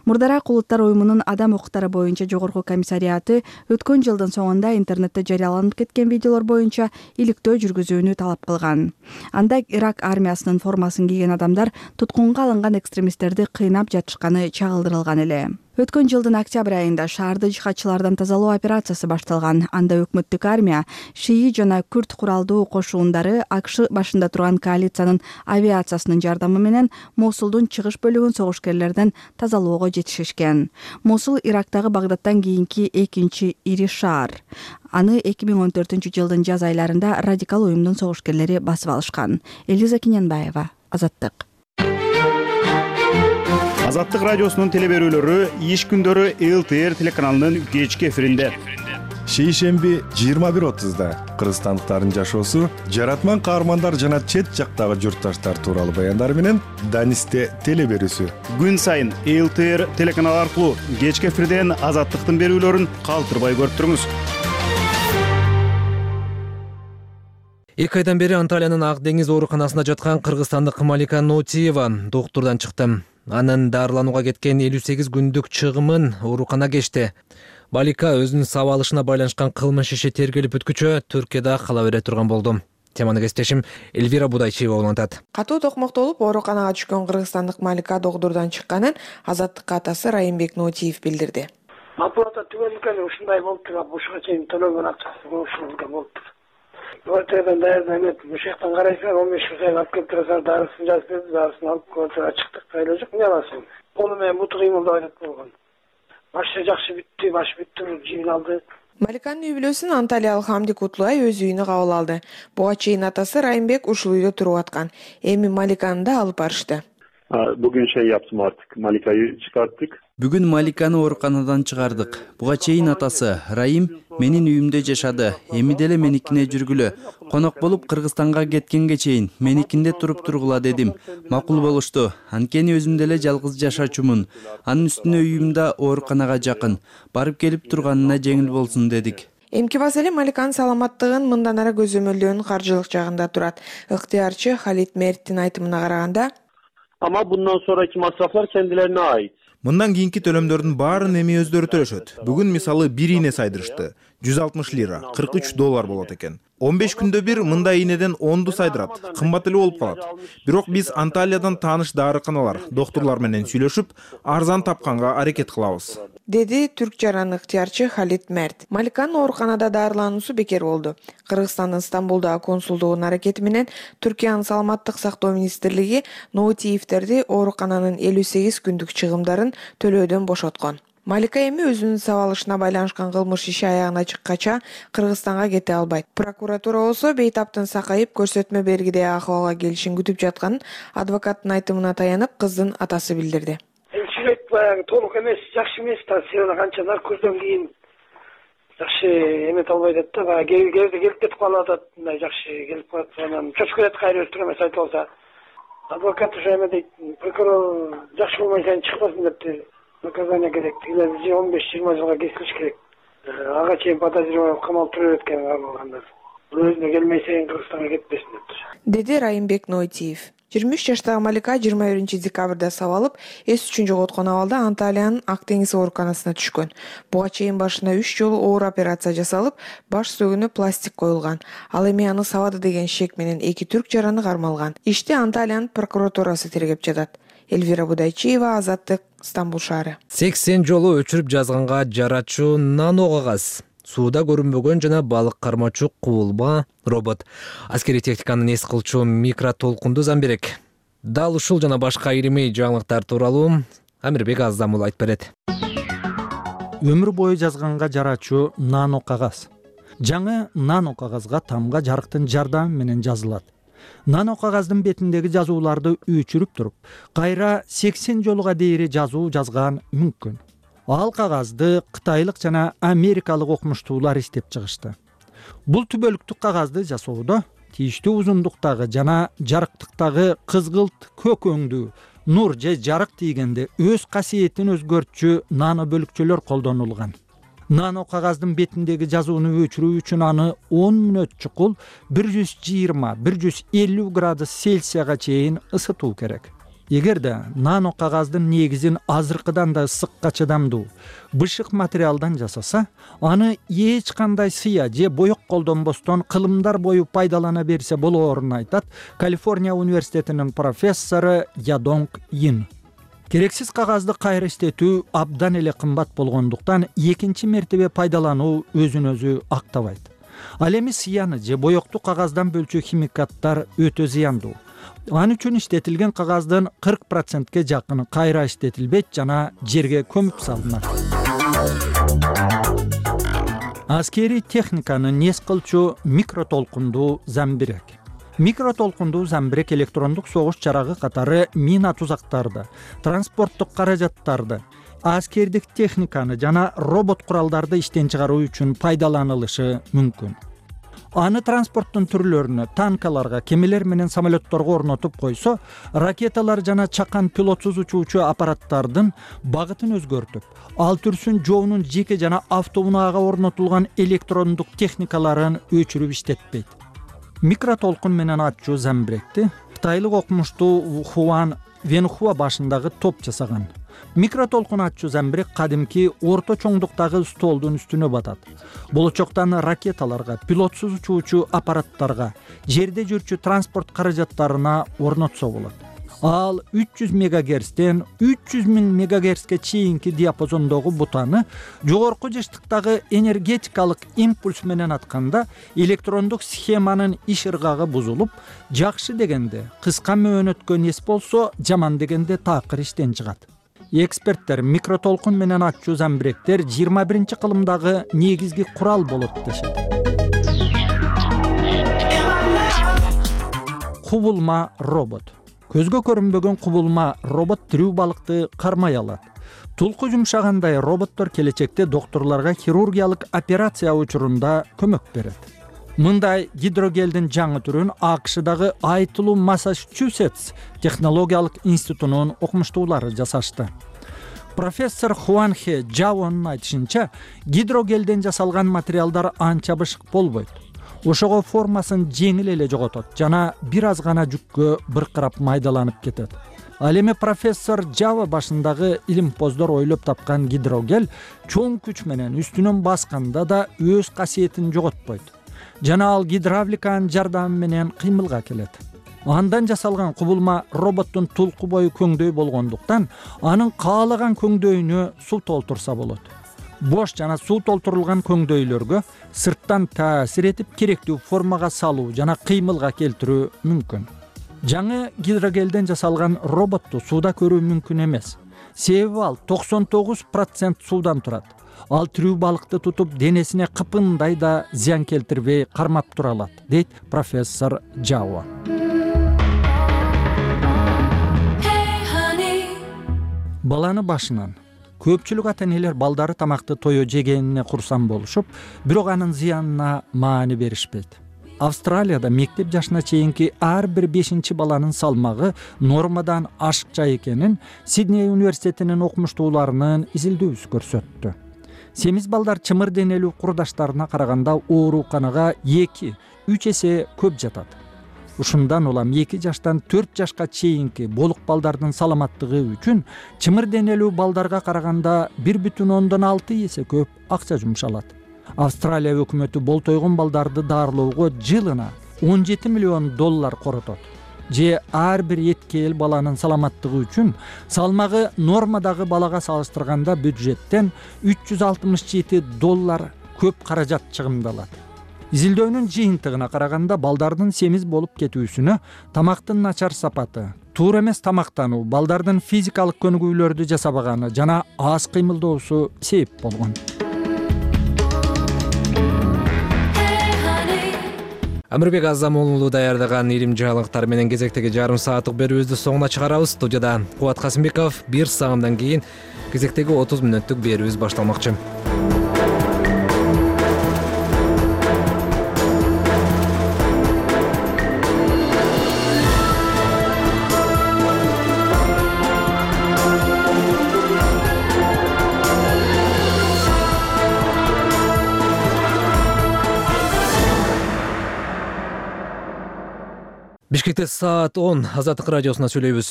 Мурдараак улуттар уюмунун адам укуктары боюнча жогорку комиссариаты өткөн жылдын соңунда интернетте жарыяланып кеткен видеолор боюнча иликтөө жүргүзүүнү талап кылган. Анда Ирак армиясынын формасын кийген адамдар туткунга алынган экстремисттерди кыйнап жатышканы чагылдырылган эле. Өткөн жылдын октябрь айында шаарды жихадчылардан тазалоо операциясы башталган. Анда өкмөттүк армия, шии жана күрд куралдуу кошуундары АКШ башында турган коалициянын авиациясынын жардамы менен Мосулдун чыгыш бөлүгүн согушкерлерден тазалоого жетишишкен. Мосул Ирактагы Багдадтан кийинки экинчи ири шаар. Аны 2014-жылдын жаз айларында радикал уюмдун согушкерлери басып алышкан. Элиза Киненбаева, Азаттык. Азаттык радиосунун телеберүүлөрү иш күндөрү ЛТР телеканалынын кечки эфиринде. Шейшемби 21:30-да кыргызстандыктардын жашоосу, жаратман каармандар жана чет жактагы журтташтар тууралуу баяндар менен Данисте телеберүүсү. Күн сайын ЛТР телеканалы аркылуу кечки эфирден Азаттыктын берүүлөрүн калтырбай көрүп туруңуз. 2 айдан бери Анталиянын Ак деңиз ооруканасында жаткан кыргызстандык Малика Нотиева доктурдан чыкты. Анын дарыланууга кеткен 58 күндүк чыгымын оорукана кечти. Малика өзүнүн сабалышына байланышкан кылмыш иши тергелип бүткүчө Түркияда кала бере турган болду. Теманы кесиптешим Эльвира Будайчиева улантат. Катуу токмоктолуп ооруканага түшкөн кыргызстандык Малика доктурдан чыкканын Азаттыкка атасы Райымбек Нотиев билдирди. Аппарата түгөнүкө ушундай болуптур, ушуга чейин төлөгөн акчасы ушундай болуптур. Квартирадан даярданып, ушактан карайсың, 15 саат алып келип турасың, дарысын жазып берди, дарысын алып квартирага чыктык, кайла жок, эмне аласың? Колу менен буту кыймылдап атат болгон. Башы жакшы бүттү, баш бүттү, жибин алды. Маликанын үй бүлөсүн анталиялык Хамди Кутлуай өз үйүнө кабыл алды. Буга чейин атасы Райымбек ушул үйдө туруп аткан. Эми Маликаны да алып барышты. Bugün yaptım artık. Malika'yı çıkarttık. Бүгүн Маликаны ооруканадан чыгардык. Буга чейин атасы Райым менин үйүмдө жашады. Эми деле меникине жүргүлө. Конок болуп Кыргызстанга кеткенге чейин меникинде туруп тургула дедим. Макул болушту. Анткени өзүм деле жалгыз жашачумун. Анын үстүнө үйүм да ооруканага жакын. Барып келип турганына жеңил болсун дедик. Эмки маселе Маликанын саламаттыгын мындан ары көзөмөлдөөнүн каржылык жагында турат. Ыктыярчы Халит Мерттин айтымына караганда, ama bundan sonraki masraflar kendilerine ait. Мындан кийинки төлөмдөрдүн баарын эми өздөрү төлөшөт. Бүгүн мисалы бир ийне сайдырышты. 160 лира, 43 доллар болот экен. 15 күндө бир мындай ийнеден 10ду сайдырат. Кымбат эле болуп калат. Бирок биз Анталиядан тааныш дарыканалар, доктурлар менен сүйлөшүп, арзан тапканга аракет кылабыз. Деди түрк жаран ыктыярчы Халит Мерт. Маликанын ооруканада дарылануусу бекер болду. Кыргызстандын Стамбулдагы консулдугунун аракети менен Түркиянын саламаттык сактоо министрлиги Ноутиевтерди оорукананын 58 күндүк чыгымдарын төлөөдөн бошоткон. Малика эми өзүнүн сабалышына байланышкан кылмыш иши аягына чыккача Кыргызстанга кете албайт. Прокуратура болсо бейтаптын сакайып көрсөтмө бергидей акыбалга келишин күтүп жатканын адвокаттын айтымына таянып кыздын атасы билдирди. Баягы толук эмес, жакшы эмес, сирана канча наркоздон кийин жакшы эмете албай атат да, баягы келип кетип калып атат, мындай жакшы келип калат, анан чөчүп кетет, кайра өстүр эмес айтып алса. Адвокат ушу эме дейт, прокурор жакшы болмой сен чыкпасын депти. Наказание керек, 15-20 жылга кесилиш керек. Ага чейин подозреваемый камалып туруп өткөн алгандар. Өзүнө келмесең Кыргызстанга кетпесин дептир. Деди Райымбек Нотиев. 23 жаштагы Малика 21 декабрда сабалып, эс үчүн жоготкон абалда Анталиянын Ак деңиз ооруканасына түшкөн. Буга чейин башына 3 жолу оор операция жасалып, баш сөөгүнө пластик коюлган. Ал эми аны сабады деген шек менен 2 түрк жараны кармалган. Ишти Анталиянын прокуратурасы тергеп жатат. Эльвира Будайчиева, Азаттык, Стамбул шаары. 80 жолу өчүрүп жазганга жарачуу нано кагаз. Сууда көрүнбөгөн жана балык кармачу куулба робот. Аскерий техниканын эс кылчу микротолкундуу замберек. Дал ушул жана башка ирими жаңылыктар тууралуу Амирбек Аздамул айтып берет. Өмүр бою жазганга жарачуу нано кагаз. Жаңы нано кагазга тамга жарыктын жардамы менен жазылат. Нано кагаздын бетиндеги жазууларды өчүрүп туруп, кайра 80 жолуга дейри жазуу жазган мүмкүн. Ал кагазды кытайлык жана америкалык окумуштуулар иштеп чыгышты. Бул түбөлүктүк кагазды жасоодо тийиштүү узундуктагы жана жарыктыктагы кызгылт көк өңдүү нур же жарык тийгенде өз касиетин өзгөртчү нано бөлүкчөлөр колдонулган. Нано кагаздын бетиндеги жазууну өчүрүү үчүн аны 10 мүнөт чукул 120–150 градус Цельсияга чейин ысытуу керек. Эгерде нано кагаздын негизин азыркыдан да ысыкка чыдамдуу бышык материалдан жасаса, аны эч кандай сыя же боек колдонбостон кылымдар бою пайдалана берсе болоорун айтат Калифорния университетинин профессору Ядонг Ин. Керексиз кагазды кайра иштетүү абдан эле кымбат болгондуктан экинчи мертебе пайдалануу өзүн өзү актабайт. Ал эми сыяны же боекту кагаздан бөлчү химикаттар өтө зыяндуу. Ал үчүн иштетилген кагаздын 40%ке жакыны кайра иштетилбейт жана жерге көмүп салынат. Аскерий техниканы нес кылчу микротолкундуу замбирек. Микротолкундуу замбирек электрондук согуш жарагы катары мина тузактарды, транспорттук каражаттарды, аскердик техниканы жана робот куралдарды иштен чыгаруу үчүн пайдаланылышы мүмкүн. Аны транспорттун түрлөрүнө, танкаларга, кемелер менен самолетторго орнотуп койсо, ракеталар жана чакан пилотсуз учуучу аппараттардын багытын өзгөртүп, ал түрсүн жоонун жеке жана автоунаага орнотулган электрондук техникаларын өчүрүп иштетпейт. Микротолкун менен ачуу замбиректи кытайлык окумуштуу Хуан Венхуа башындагы топ жасаган. Микротолкун ачуу замбирек кадимки орто чоңдуктагы столдун үстүнө батат. Болочоктан ракеталарга, пилотсуз учуучу аппараттарга, жерде жүрчү транспорт каражаттарына орнотсо болот. Ал 300 мегагерцтен 300 000 мегагерцке чейинки диапазондогу бутаны жогорку жыштыктагы энергетикалык импульс менен атканда электрондук схеманын иш ыргагы бузулуп, жакшы дегенде кыска мөөнөткө нес болсо, жаман дегенде такыр иштен чыгат. Эксперттер микротолкун менен ачуу замбиректер 21-кылымдагы негизги курал болот дешет. Кубулма робот. Көзгө көрүнбөгөн кубулма робот тирүү балыкты кармай алат. Тулку жумшагандай роботтор келечекте докторлорго хирургиялык операция учурунда көмөк берет. Мындай гидрогелдин жаңы түрүн АКШдагы Айтылуу Массачусетс технологиялык институтунун окумуштуулары жасашты. Профессор Хуанхе Джаонун айтышынча, гидрогелден жасалган материалдар анча бышык болбойт. Ошого формасын жеңил эле жоготот жана бир аз гана жүккө быркырап майдаланып кетет. Ал эми профессор Жава башындагы илимпоздор ойлоп тапкан гидрогел чоң күч менен үстүнөн басканда да өз касиетин жоготпойт. Жана ал гидравликанын жардамы менен кыймылга келет. Андан жасалган кубулма роботтун тулку бою көңдөй болгондуктан анын каалаган көңдөйүнө суу толтурса болот. Бош жана суу толтурулган көңдөйлөргө сырттан таасир этип керектүү формага салуу жана кыймылга келтирүү мүмкүн. Жаңы гидрогелден жасалган роботту сууда көрүү мүмкүн эмес. Себеби ал 99% суудан турат. Ал тирүү балыкты тутуп денесине кыпындай да зыян келтирбей кармап тура алат, дейт профессор Жао. Баланы башынан көпчүлүк ата-энелер балдары тамакты тое жегенине курсан болушуп, бирок анын зыянына маани беришпейт. Австралияда мектеп жашына чейинки ар бир 5-чи баланын салмагы нормадан ашыкча экенин Сидней университетинин окумуштууларынын изилдөөсү көрсөттү. Семиз балдар чымыр денелүү курдаштарына караганда ооруканага 2-3 эсе көп жатат. Ушундан улам 2 жаштан 4 жашка чейинки болук балдардын саламаттыгы үчүн чымыр денелүү балдарга караганда 1,6 эсе көп акча жумшалат. Австралия өкмөтү болтойгон балдарды даарылоого жылына $17 миллион коротот. Же ар бир эткел баланын саламаттыгы үчүн салмагы нормадагы балага салыштырганда бюджеттен $367 көп каражат чыгымдалат. Изилдөөнүн жыйынтыгына караганда балдардын семиз болуп кетүүсүнө тамактын начар сапаты, туура эмес тамактануу, балдардын физикалык көнүгүүлөрдү жасабаганы жана аз кыймылдоосу себеп болгон. Амирбек Азамулуу даярдаган илим жаңылыктар менен кезектеги жарым сааттык берүүбүздү соңуна чыгарабыз. Студияда Кубат Касымбеков. 1 саатдан кийин кезектеги 30 мүнөттүк берүүбүз башталмакчы. Бишкекте саат 10 Азаттык радиосуна сүйлөйбүз.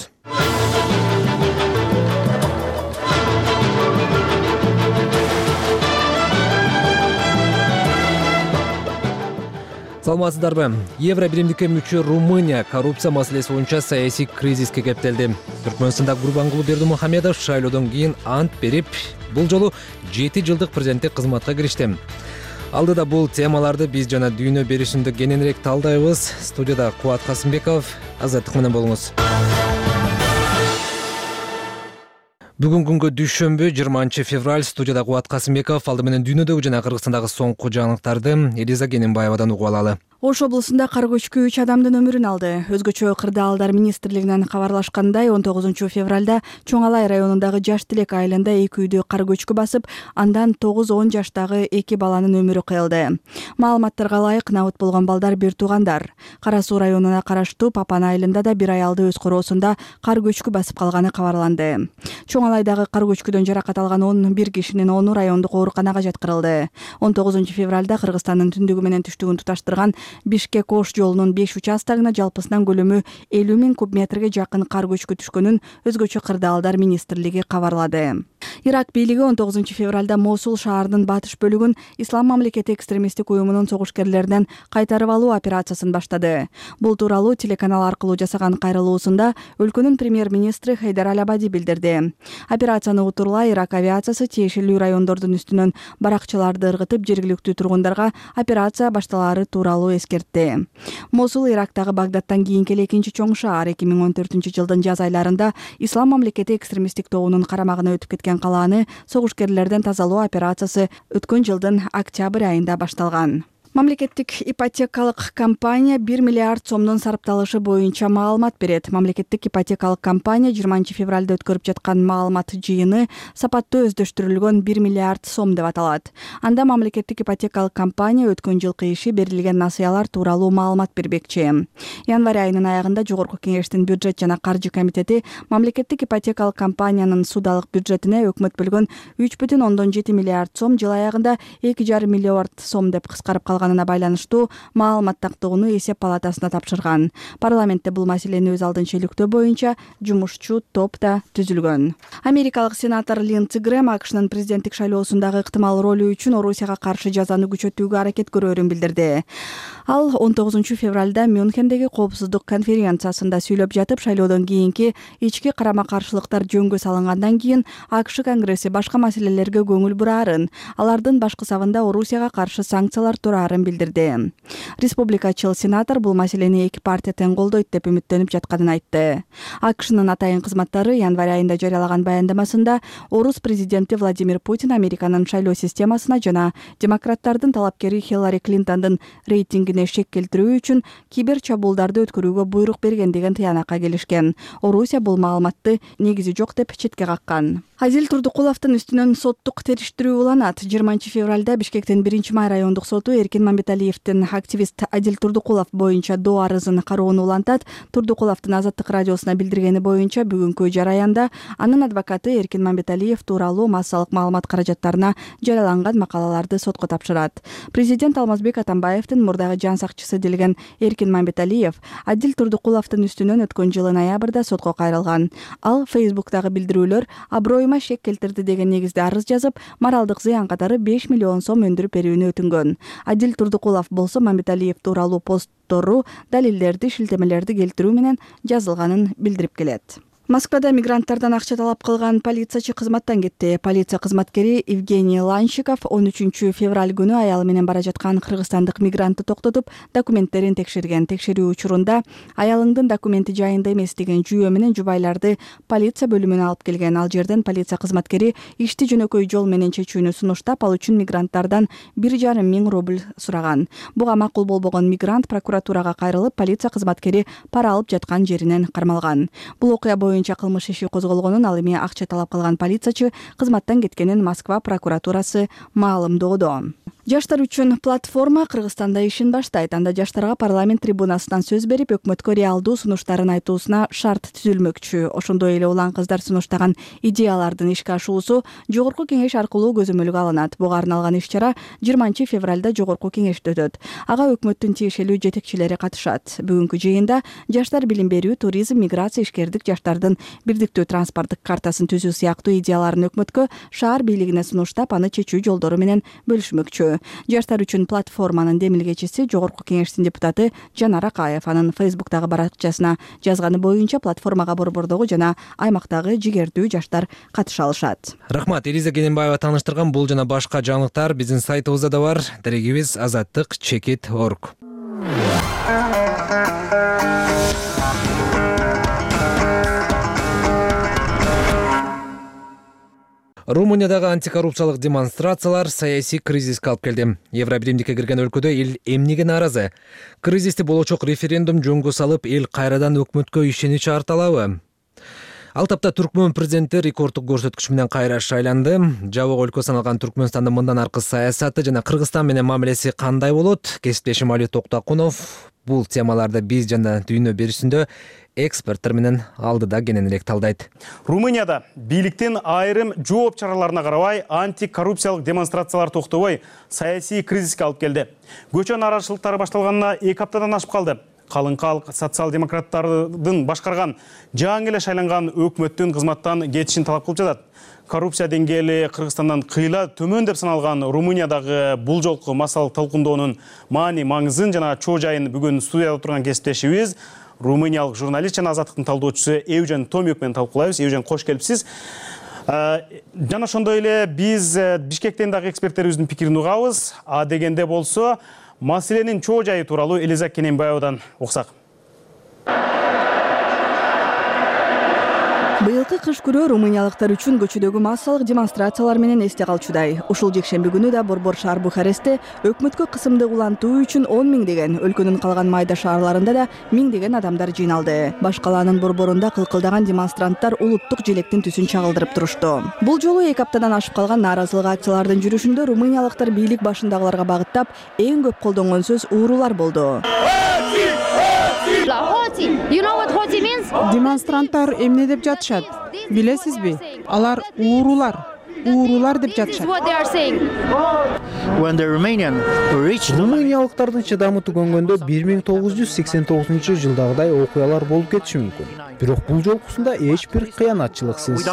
Саламатсыздарбы? Евро биримдикке мүчө Румыния коррупция маселеси боюнча саясий кризиске кептелди. Түркмөнстанда Гурбангулы Бердимухамедов шайлоодон кийин ант берип, бул жолу 7 жылдык президенттик кызматка киришти. Алдыда бул темаларды биз жана дүйнө беришинде кененирээк талдайбыз. Студияда Кубат Касымбеков, Азаттык менен болуңуз. Бүгүн күнгө дүйшөмбү 20 февраль. Студияда Кубат Касымбеков. Алды менен дүйнөдөгү жана Кыргызстандагы соңку жаңылыктарды Элиза Кененбаевадан угуп алалы. Ош облусунда кар көчкү 3 адамдын өмүрүн алды. Өзгөчө кырдаалдар министрлигинен кабарлашкандай 19 февралда Чоң Алай районундагы Жаш Тилек айылында 2 үйдү кар көчкү басып, андан 9-10 жаштагы 2 баланын өмүрү кыйылды. Маалыматтарга ылайык набыт болгон балдар бир туугандар. Кара Суу районуна караштуу Папан айылында да бир аялды өз короосунда кар көчкү басып калганы кабарланды. Чоң Алайдагы кар көчкүдөн жаракат алган 11 кишинин 10 райондук ооруканага жаткырылды. 19 февралда Кыргызстандын түндүгү менен түштүгүн туташтырган Бишкек-Ош жолунун 5 участогуна жалпысынан көлөмү 50 000 куб метрге жакын кар көчкү түшкөнүн өзгөчө кырдаалдар министрлиги кабарлады. Ирак бийлиги 19 февралда Мосул шаарынын батыш бөлүгүн Ислам мамлекети экстремисттик уюмунун согушкерлеринен кайтарып алуу операциясын баштады. Бул тууралуу телеканал аркылуу жасаган кайрылуусунда өлкөнүн премьер-министри Хайдар Аль-Абади билдирди. Операцияны утурлай Ирак авиациясы тиешелүү райондордун үстүнөн баракчаларды ыргытып, жергиликтүү тургундарга операция башталаары тууралуу эскертти. Мосул Ирактагы Багдадтан кийинки экинчи чоң шаар. 2014 жылдын жаз айларында Ислам мамлекети экстремисттик тобунун карамагына өтүп кеткен калааны согушкерлерден тазалоо операциясы өткөн жылдын октябрь айында башталган. Мамлекеттик ипотекалык компания 1 миллиард сомдун сарапталышы боюнча маалымат берет. Мамлекеттик ипотекалык компания 20 февралда өткөрүп жаткан маалымат жыйыны сапаттуу өздөштүрүлгөн 1 миллиард сом деп аталат. Анда мамлекеттик ипотекалык компания өткөн жылкы иши берилген насыялар тууралуу маалымат бербекчи. Январь айынын аягында Жогорку Кеңештин бюджет жана каржы комитети мамлекеттик ипотекалык компаниянын судалык бюджетине өкмөт бөлгөн 3,7 миллиард сом жыл аягында 2,5 миллиард сом деп кыскарып калганына байланыштуу маалымат тактыгууну эсеп палатасына тапшырган. Парламентте бул маселени өз алдынча иликтөө боюнча жумушчу топ да түзүлгөн. Америкалык сенатор Линдси Грэм АКШнын президенттик шайлоосундагы ыктымал ролу үчүн Орусияга каршы жазаны күчөтүүгө аракет көрөрүн билдирди. Ал 19 февралда Мюнхендеги коопсуздук конференциясында сүйлөп жатып, шайлоодон кийинки ички карама-каршылыктар жөнгө салынгандан кийин АКШ Конгресси башка маселелерге көңүл бурарын, алардын баш кысабында Орусияга каршы санкциялар турарын билдирди. Республикачыл сенатор бул маселени эки партия тең колдойт деп үмүттөнүп жатканын айтты. АКШнын атайын кызматтары январь айында жарыялаган баяндамасында орус президенти Владимир Путин Американын шайлоо системасына жана демократтардын талапкери Хиллари Клинтондун рейтингине шек келтирүү үчүн кибер чабуулдарды өткөрүүгө буйрук берген деген тыянакка келишкен. Орусия бул маалыматты негизи жок деп четке каккан. Азил Турдукуловдун үстүнөн соттук териштирүү уланат. 20 февралда Бишкектин 1-май райондук соту Эркин Мамбеталиевдин активист Азил Турдукулов боюнча доо арызын кароону улантат. Турдукуловдун Азаттык радиосуна билдиргени боюнча бүгүнкү жараянда анын адвокаты Эркин Мамбеталиев тууралуу массалык маалымат каражаттарына жарыяланган макалаларды сотко тапшырат. Президент Алмазбек Атамбаевдин мурдагы жан сакчысы делген Эркин Мамбеталиев Азил Турдукуловдун үстүнөн өткөн жылы ноябрда сотко кайрылган. Ал Facebook'тагы билдирүүлөр аброюма шек келтирди деген негизде арыз жазып, моралдык зыян катары 5 миллион сом өндүрүп берүүнү өтүнгөн. Азил Турдукулов болсо Мамбеталиев тууралуу посттору, далилдерди, шилтемелерди келтирүү менен жазылганын билдирип келет. Москвада мигранттардан акча талап кылган полициячы кызматтан кетти. Полиция кызматкери Евгений Ланщиков 13 февраль күнү аялы менен бара жаткан кыргызстандык мигрантты токтотуп, документтерин текшерген. Текшерүү учурунда аялыңдын документи жайында эмес деген жүйө менен жубайларды полиция бөлүмүнө алып келген. Ал жерден полиция кызматкери ишти жөнөкөй жол менен чечүүнү сунуштап, ал үчүн мигранттардан 1,5 миң рубль сураган. Буга макул болбогон мигрант прокуратурага кайрылып, полиция кызматкери пара алып жаткан жеринен кармалган. Бул окуя боюнча кылмыш иши козголгонун, ал эми акча талап кылган полициячы кызматтан кеткенин Москва прокуратурасы маалымдоодо. Жаштар үчүн платформа Кыргызстанда ишин баштайт. Анда жаштарга парламент трибунасынан сөз берип, өкмөткө реалдуу сунуштарын айтуусуна шарт түзүлмөкчү. Ошондой эле улан кыздар сунуштаган идеялардын ишке ашуусу жогорку кеңеш аркылуу көзөмөлгө алынат. Буга арналган иш-чара 20 февралда жогорку кеңеште өтөт. Ага өкмөттүн тиешелүү жетекчилери катышат. Бүгүнкү жыйында жаштар билим берүү, туризм, миграция, ишкердик, жаштардын бирдиктүү транспорттук картасын түзүү сыяктуу идеяларын өкмөткө шаар бийлигине сунуштап, аны чечүү жолдору менен бөлүшмөкчү. Жаштар үчүн платформанын демилгечиси жогорку кеңештин депутаты Жанар Акаев анын Фейсбуктагы баракчасына жазганы боюнча платформага борбордогу жана аймактагы жигердүү жаштар катыша алышат. Рахмат, Элиза Кененбаева тааныштырган бул жана башка жаңылыктар биздин сайтыбызда да бар. Дарегибиз azаттык.org. Румыниядагы антикоррупциялык демонстрациялар саясий кризиске алып келди. Евробиримдикке кирген өлкөдө эл эмнеге нааразы? Кризисти болочок референдум жөнгө салып, эл кайрадан өкмөткө ишенич арталабы? Ал тапта Түркмөн президенти рекордтук көрсөткүч менен кайра шайланды. Жабык өлкө саналган Түркмөнстандын мындан аркы саясаты жана Кыргызстан менен мамилеси кандай болот? Кесиптешим Али Токтакунов бул темаларды биз жана дүйнө берүүсүндө эксперттер менен алдыда кененирээк талдайт. Румынияда бийликтин айрым жооп чараларына карабай антикоррупциялык демонстрациялар токтобой саясий кризиске алып келди. Көчө нааразычылыктары башталганына 2 аптадан ашып калды. Калың калк социал-демократтардын башкарган жаңы эле шайланган өкмөттүн кызматтан кетишин талап кылып жатат. Коррупция деңгээли Кыргызстандан кыйла төмөн деп саналган Румыниядагы бул жолку массалык талкуунdoonун маани маңызын жана чоо жайын бүгүн студияда отурган кесиптешибиз румыниялык журналист жана азаттыктын талдоочусу Евжен Томюк менен талкуулайбыз. Евжен, кош келипсиз. Жана ошондой эле биз Бишкектен дагы эксперттерибиздин пикирин угабыз. А дегенде болсо маселенин чоо жайы тууралуу Элиза Кененбаевадан уксак. Быйылкы кыш күрөө румыниялыктар үчүн көчөдөгү массалык демонстрациялар менен эсте калчудай. Ушул жекшемби күнү да борбор шаар Бухарестте өкмөткө кысымды улантуу үчүн 10 миңдеген, өлкөнүн калган майда шаарларында да миңдеген адамдар жыйналды. Баш калаанын борборунда кылкылдаган демонстранттар улуттук желектин түсүн чагылдырып турушту. Бул жолу 2 аптадан ашып калган нааразылык акциялардын жүрүшүндө румыниялыктар бийлик башындагыларга багыттап эң көп колдонгон сөз уурулар болду. Демонстранттар эмне деп жатышат? Билесизби? Алар уурулар деп жатышат. Румыниялыктардын чыдамы түгөнгөндө 1989-жылдагыдай окуялар болуп кетиши мүмкүн. Бирок бул жолкусунда эч бир кыянатчылыксыз.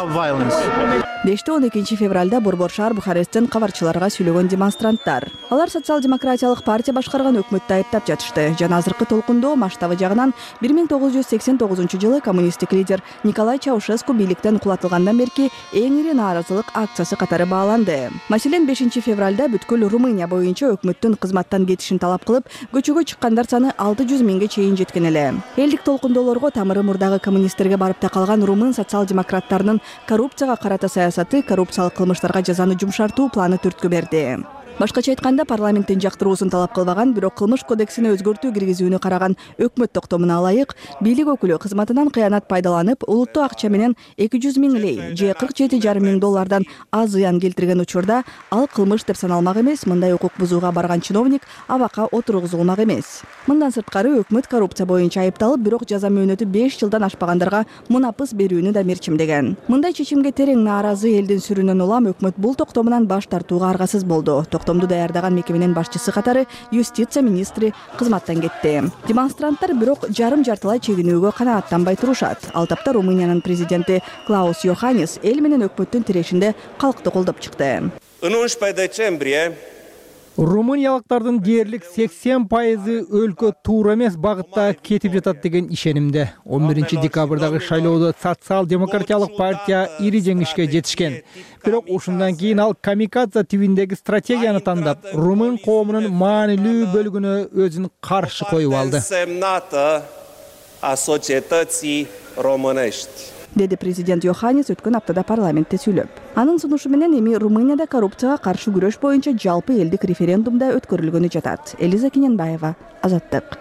Дешти 12 февралда борбор шаар Бухаресттен кабарчыларга сүйлөгөн демонстранттар. Алар социал-демократиялык партия башкарган өкмөттү айыптап жатышты. Жана азыркы толкундоо масштабы жагынан 1989-жылы коммунисттик лидер Николай Чаушеску бийликтен кулатылгандан берки эң ири нааразылык акциясы катары бааланды. Маселен 5 февралда бүткүл Румыния боюнча өкмөттүн кызматтан кетишин талап кылып, көчөгө чыккандар саны 600 миңге чейин жеткен эле. Элдик толкундоолорго тамыры мурдагы коммунисттерге барып такалган румын социал-демократтарынын коррупцияга карата саясаты, коррупциялык кылмыштарга жазаны жумшартуу планы түрткү берди. Башкача айтканда, парламенттин жактыруусун талап кылбаган, бирок кылмыш кодексине өзгөртүү киргизүүнү караган өкмөт токтомуна ылайык бийлик өкүлү кызматынан кыянат пайдаланып, улуттуу акча менен 200 миң лей, же $47,5 миң аз зыян келтирген учурда ал кылмыш деп саналмак эмес. Мындай укук бузууга барган чиновник абакка отургузулмак эмес. Мындан сырткары өкмөт коррупция боюнча айыпталып, бирок жаза мөөнөтү 5 жылдан ашпагандарга мунапыс берүүнү да мерчимдеген. Мындай чечимге терең нааразы элдин сүрүнөн улам өкмөт бул токтомунан баш тартууга аргасыз болду. Токтомду даярдаган мекеменин башчысы катары юстиция министри кызматтан кетти. Демонстранттар бирок жарым-жартылай чегинүүгө канааттанбай турушат. Ал тапта Румыниянын президенти Клаус Йоханнис эл менен өкмөттүн тирешинде калкты колдоп чыкты. Румыниялыктардын дээрлик 80% өлкө туура эмес багытта кетип жатат деген ишенимде. 11 декабрдагы шайлоодо социал-демократиялык партия ири жеңишке жетишкен. Бирок ушундан кийин ал камикадзе тибиндеги стратегияны тандап, румын коомунун маанилүү бөлүгүнө өзүн каршы коюп алды. Деди президент Йоханнис өткөн аптада парламентте сүйлөп. Анын сунушу менен эми Румынияда коррупцияга каршы күрөш боюнча жалпы элдик референдумда өткөрүлгөнү жатат. Элиза Кененбаева, Азаттык.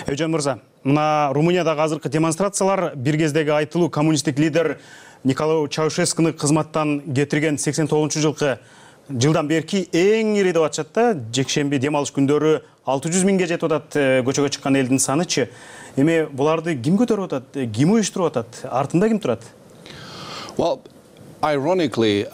Евжен мырза, мына Румыниядагы азыркы демонстрациялар бир кездеги айтылуу коммунисттик лидер Николай Чаушескуну кызматтан кетирген 89-жылкы жылдан берки эң ири деп атышат да. Жекшемби дем алыш күндөрү 600 миңге жетип атат көчөгө чыккан элдин санычы. Эми буларды ким көтөрүп атат, ким уюштуруп атат, артында ким турат? Well, ironically,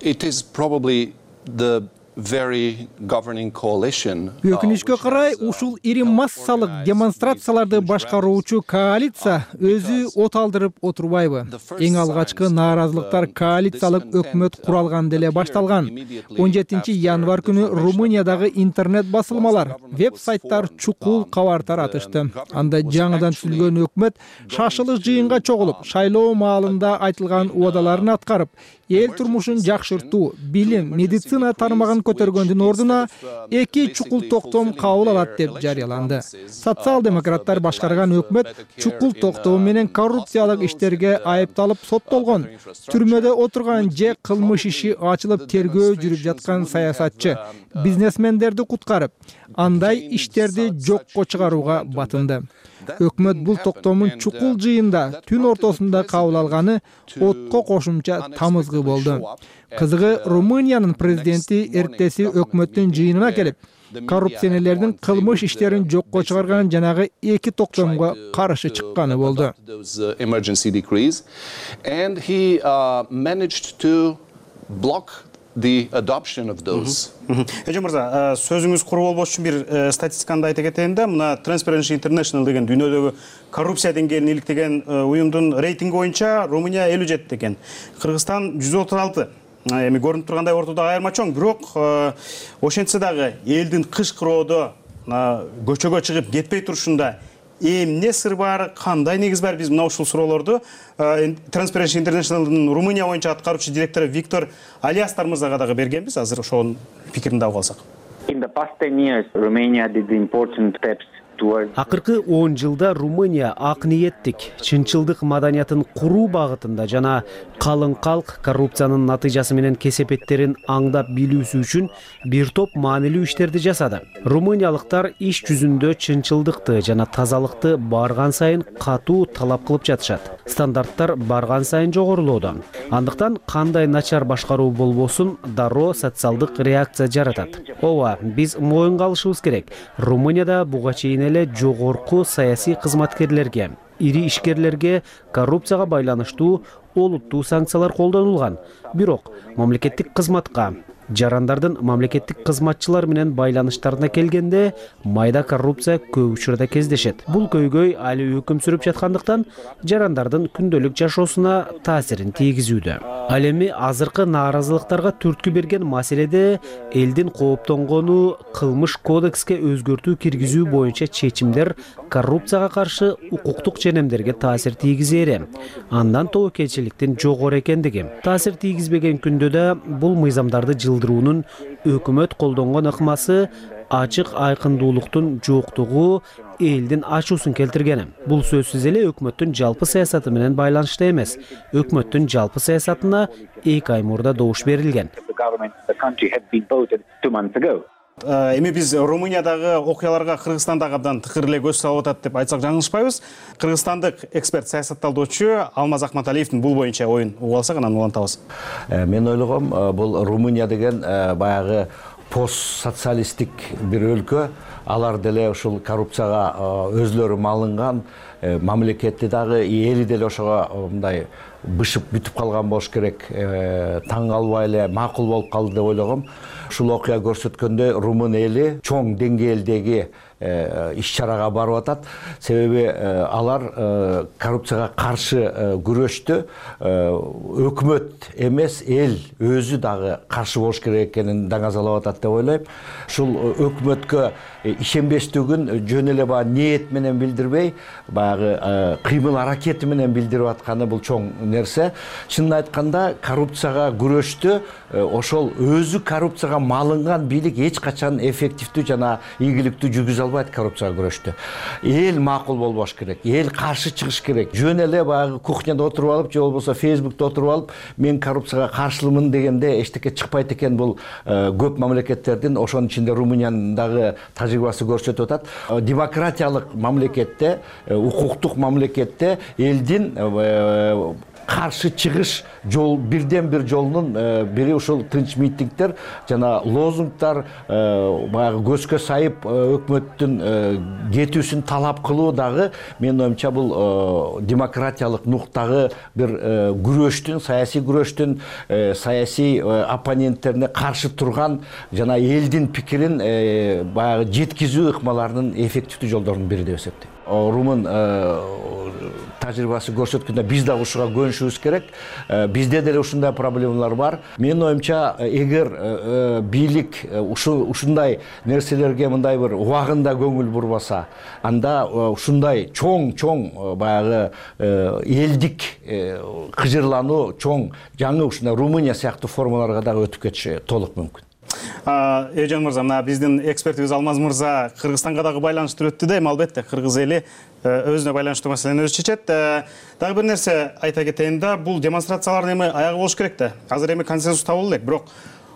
it is probably the very governing coalition. Өкүнүчкө карай ушул ири массалык демонстрацияларды башкаруучу коалиция өзү от алдырып отурбайбы? Эң алгачкы нааразылыктар коалициялык өкмөт куралган деле башталган. 17 январь күнү Румыниядагы интернет басылмалар, веб-сайттар чукул кабар таратышты. Анда жаңыдан түзүлгөн өкмөт шашылык жыйынга чогулуп, шайлоо маалында айтылган убадаларын аткарып, эл турмушун жакшыртуу, билим, медицина тармагын көтөргөндүн ордуна эки чукул токтом кабыл алат деп жарыяланды. Социал-демократтар башкарган өкмөт чукул токтоо менен коррупциялык иштерге айыпталып соттолгон. Түрмөдө отурган же кылмыш иши ачылып тергөө жүрүп жаткан саясатчы бизнесмендерди куткарып, андай иштерди жокко чыгарууга батынды. Өкмөт бул токтомун чукул жыйында түн ортосунда кабыл алганы отко кошумча тамызгы болду. Кызыгы, Румыниянын президенти эртеси өкмөттүн жыйынына келип, коррупционерлердин кылмыш иштерин жокко чыгарган жанагы эки токтомго каршы чыкканы болду. And he managed to block the adoption of those. Эжен мырза, сөзүңүз куру болбош үчүн бир статистиканы айта кетейин да. Мына Transparency International деген дүйнөдөгү коррупция деңгээлин иликтеген уюмдун рейтинги боюнча Румыния 57 экен. Кыргызстан 136. Эми көрүнүп тургандай ортодо айырма чоң, бирок ошентсе дагы элдин кыш кыроодо көчөгө чыгып кетпей турушунда эмне сыр бар, кандай негиз бар? Биз мына ушул суроолорду Transparency International'дын Румыния боюнча аткаруучу директору Виктор Алиастар мырзага дагы бергенбиз. Азыр ошонун пикирин дагы алсак. In the past 10 years, Romania did important steps. Акыркы 10 жылда Румыния ак ниеттик, чынчылдык маданиятын куруу багытында жана калың калк коррупциянын натыйжасы менен кесепеттерин аңдап билүүсү үчүн бир топ маанилүү иштерди жасады. Румыниялыктар иш жүзүндө чынчылдыкты жана тазалыкты барган сайын катуу талап кылып жатышат. Стандарттар барган сайын жогорулууда. Андыктан кандай начар башкаруу болбосун дароо социалдык реакция жаратат. Ооба, биз моюнга алышыбыз керек. Румынияда буга чейин эле жогорку саясий кызматкерлерге, ири ишкерлерге коррупцияга байланыштуу олуттуу санкциялар колдонулган. Бирок мамлекеттик кызматка, жарандардын мамлекеттик кызматчылар менен байланыштарына келгенде майда коррупция көп учурда кездешет. Бул көйгөй али өкүм сүрүп жаткандыктан жарандардын күндөлүк жашоосуна таасирин тийгизүүдө. Ал эми азыркы нааразылыктарга түрткү берген маселеде элдин кооптонгону кылмыш кодекске өзгөртүү киргизүү боюнча чечимдер коррупцияга каршы укуктук ченемдерге таасир тийгизери, андан тобокелчиликтин жогору экендиги. Таасир тийгизбеген күндө да бул мыйзамдарды жылдыруунун өкмөт колдонгон ыкмасы ачык айкындуулуктун жоктугу элдин ачуусун келтиргени. Бул сөзсүз эле өкмөттүн жалпы саясаты менен байланыштуу эмес. Өкмөттүн жалпы саясатына 2 ай мурда добуш берилген. Эми биз Румыниядагы окуяларга Кыргызстандагы абдан тыкыр эле көз салып атат деп айтсак жаңылышпайбыз. Кыргызстандык эксперт саясатталдоочу Алмаз Акматалиевдин бул боюнча оюн угуп алсак анан улантабыз. Мен ойлогом, бул Румыния деген баягы постсоциалисттик бир өлкө, алар деле ушул коррупцияга өзлөрү малынган, мамлекетти дагы эли деле ошого мындай бышып бүтүп калган болуш керек. Таң калбай эле макул болуп калды деп ойлогом. Ушул окуя көрсөткөндөй румын эли чоң деңгээлдеги иш-чарага барып атат. Себеби алар коррупцияга каршы күрөштү өкмөт эмес, эл өзү дагы каршы болуш керек экенин даңазалап атат деп ойлойм. Ушул өкмөткө ишенбестигин жөн эле баягы ниет менен билдирбей, баягы кыймыл аракети менен билдирип атканы бул чоң нерсе. Чынын айтканда коррупцияга күрөштү ошол өзү коррупцияга малынган бийлик эч качан эффективдүү жана ийгиликтүү жүргүзө албайт. Коррупцияга күрөштү эл макул болбош керек, эл каршы чыгыш керек. Жөн эле баягы кухняда отуруп алып же болбосо Facebook'та отуруп алып мен коррупцияга каршылымын дегенде эчтеке чыкпайт экен. Бул көп мамлекеттердин, ошонун ичинде Румыниянын дагы тажрыйбасы көрсөтүп атат. Демократиялык мамлекетте, укуктук мамлекетте элдин каршы чыгыш жол бирден бир жолунун бири ушул тынч митингдер жана лозунгдар, баягы көзгө сайып өкмөттүн кетүүсүн талап кылуу дагы менин оюмча бул демократиялык нуктагы бир күрөштүн, саясий оппоненттерине каршы турган жана элдин пикирин баягы жеткизүү ыкмаларынын эффективдүү жолдорунун бири деп эсептейм. Румын тажрыйбасы көрсөткөндө биз да ушуга көнүшүбүз керек. Бизде деле ушундай проблемалар бар. Менин оюмча, эгер бийлик ушундай нерселерге мындай бир убагында көңүл бурбаса, анда ушундай чоң баягы элдик кыжырлануу, чоң жаңы ушундай Румыния сыяктуу формаларга дагы өтүп кетиши толук мүмкүн. Эжен мырза, мына биздин экспертибиз Алмаз мырза Кыргызстанга дагы байланыштырып өттү да, эми албетте кыргыз эли өзүнө байланыштуу маселени өзү чечет. Дагы бир нерсе айта кетейин да, бул демонстрациялардын эми аягы болуш керек да. Азыр эми консенсус табылды элек, бирок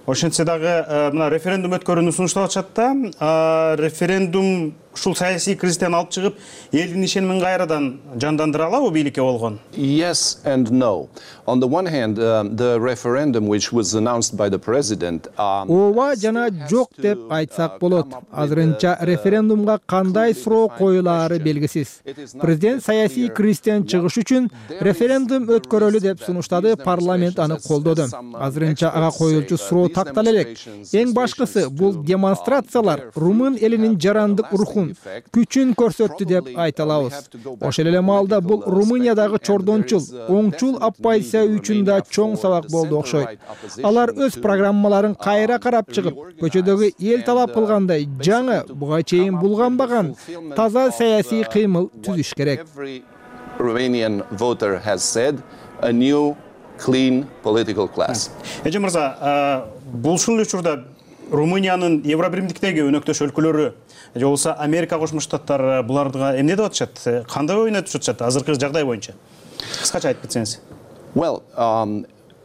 ошентсе дагы мына референдум өткөрүүнү сунуштап атышат да. Референдум ушул саясий кризистен алып чыгып, элдин ишенимин кайрадан жандандыра алабы бийликке болгон? Yes and no. On the one hand, the referendum which was announced by the president. Ооба жана жок деп айтсак болот. Азырынча референдумга кандай суроо коюлаары белгисиз. Президент саясий кризистен чыгыш үчүн референдум өткөрөлү деп сунуштады, парламент аны колдоду. Азырынча ага коюлчу суроо тактала элек. Эң башкысы бул демонстрациялар румын элинин жарандык рухун, күчүн көрсөттү деп айта алабыз. Ошол эле маалда бул Румыниядагы чордончул, оңчул оппозиция үчүн да чоң сабак болду окшойт. Алар өз программаларын кайра карап чыгып, көчөдөгү эл талап кылгандай жаңы, буга чейин булганбаган таза саясий кыймыл түзүш керек. Romanian voter has said a new clean political class. Эжен мырза, бул ушул учурда Румыниянын Евробиримдиктеги өнөктөш өлкөлөрү же болбосо Америка Кошмо Штаттары буларга эмне деп атышат? Кандай ойнотуп жатышат азыркы жагдай боюнча? Кыскача айтып кетсеңиз. Well,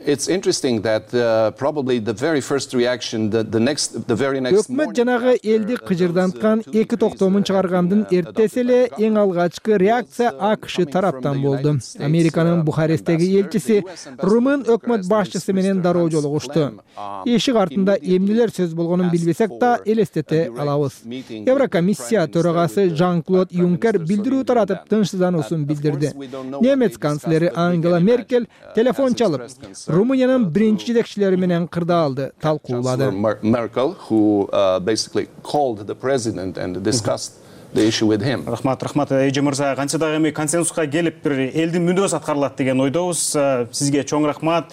it's interesting that probably the very first reaction, the very next morning. Өкмөт жанагы элди кыжырданткан эки токтомун чыгаргандын эртеси эле эң алгачкы реакция АКШ тараптан болду. Американын Бухаресттеги элчиси румын өкмөт башчысы менен дароо жолугушту. Эшик артында эмнелер сөз болгонун билбесек да элестете алабыз. Еврокомиссия төрагасы Жан-Клод Юнкер билдирүү таратып тынчсыздануусун билдирди. Немец канцлери Ангела Меркель телефон чалып Румыниянын биринчи жетекчилери менен кырдаалды талкуулады. Merkel, who basically called the president and discussed the issue with him. Рахмат, Эжен мырза, кантсе дагы эми консенсуска келип бир элдин мүндөсү аткарылат деген ойдобуз. Сизге чоң рахмат.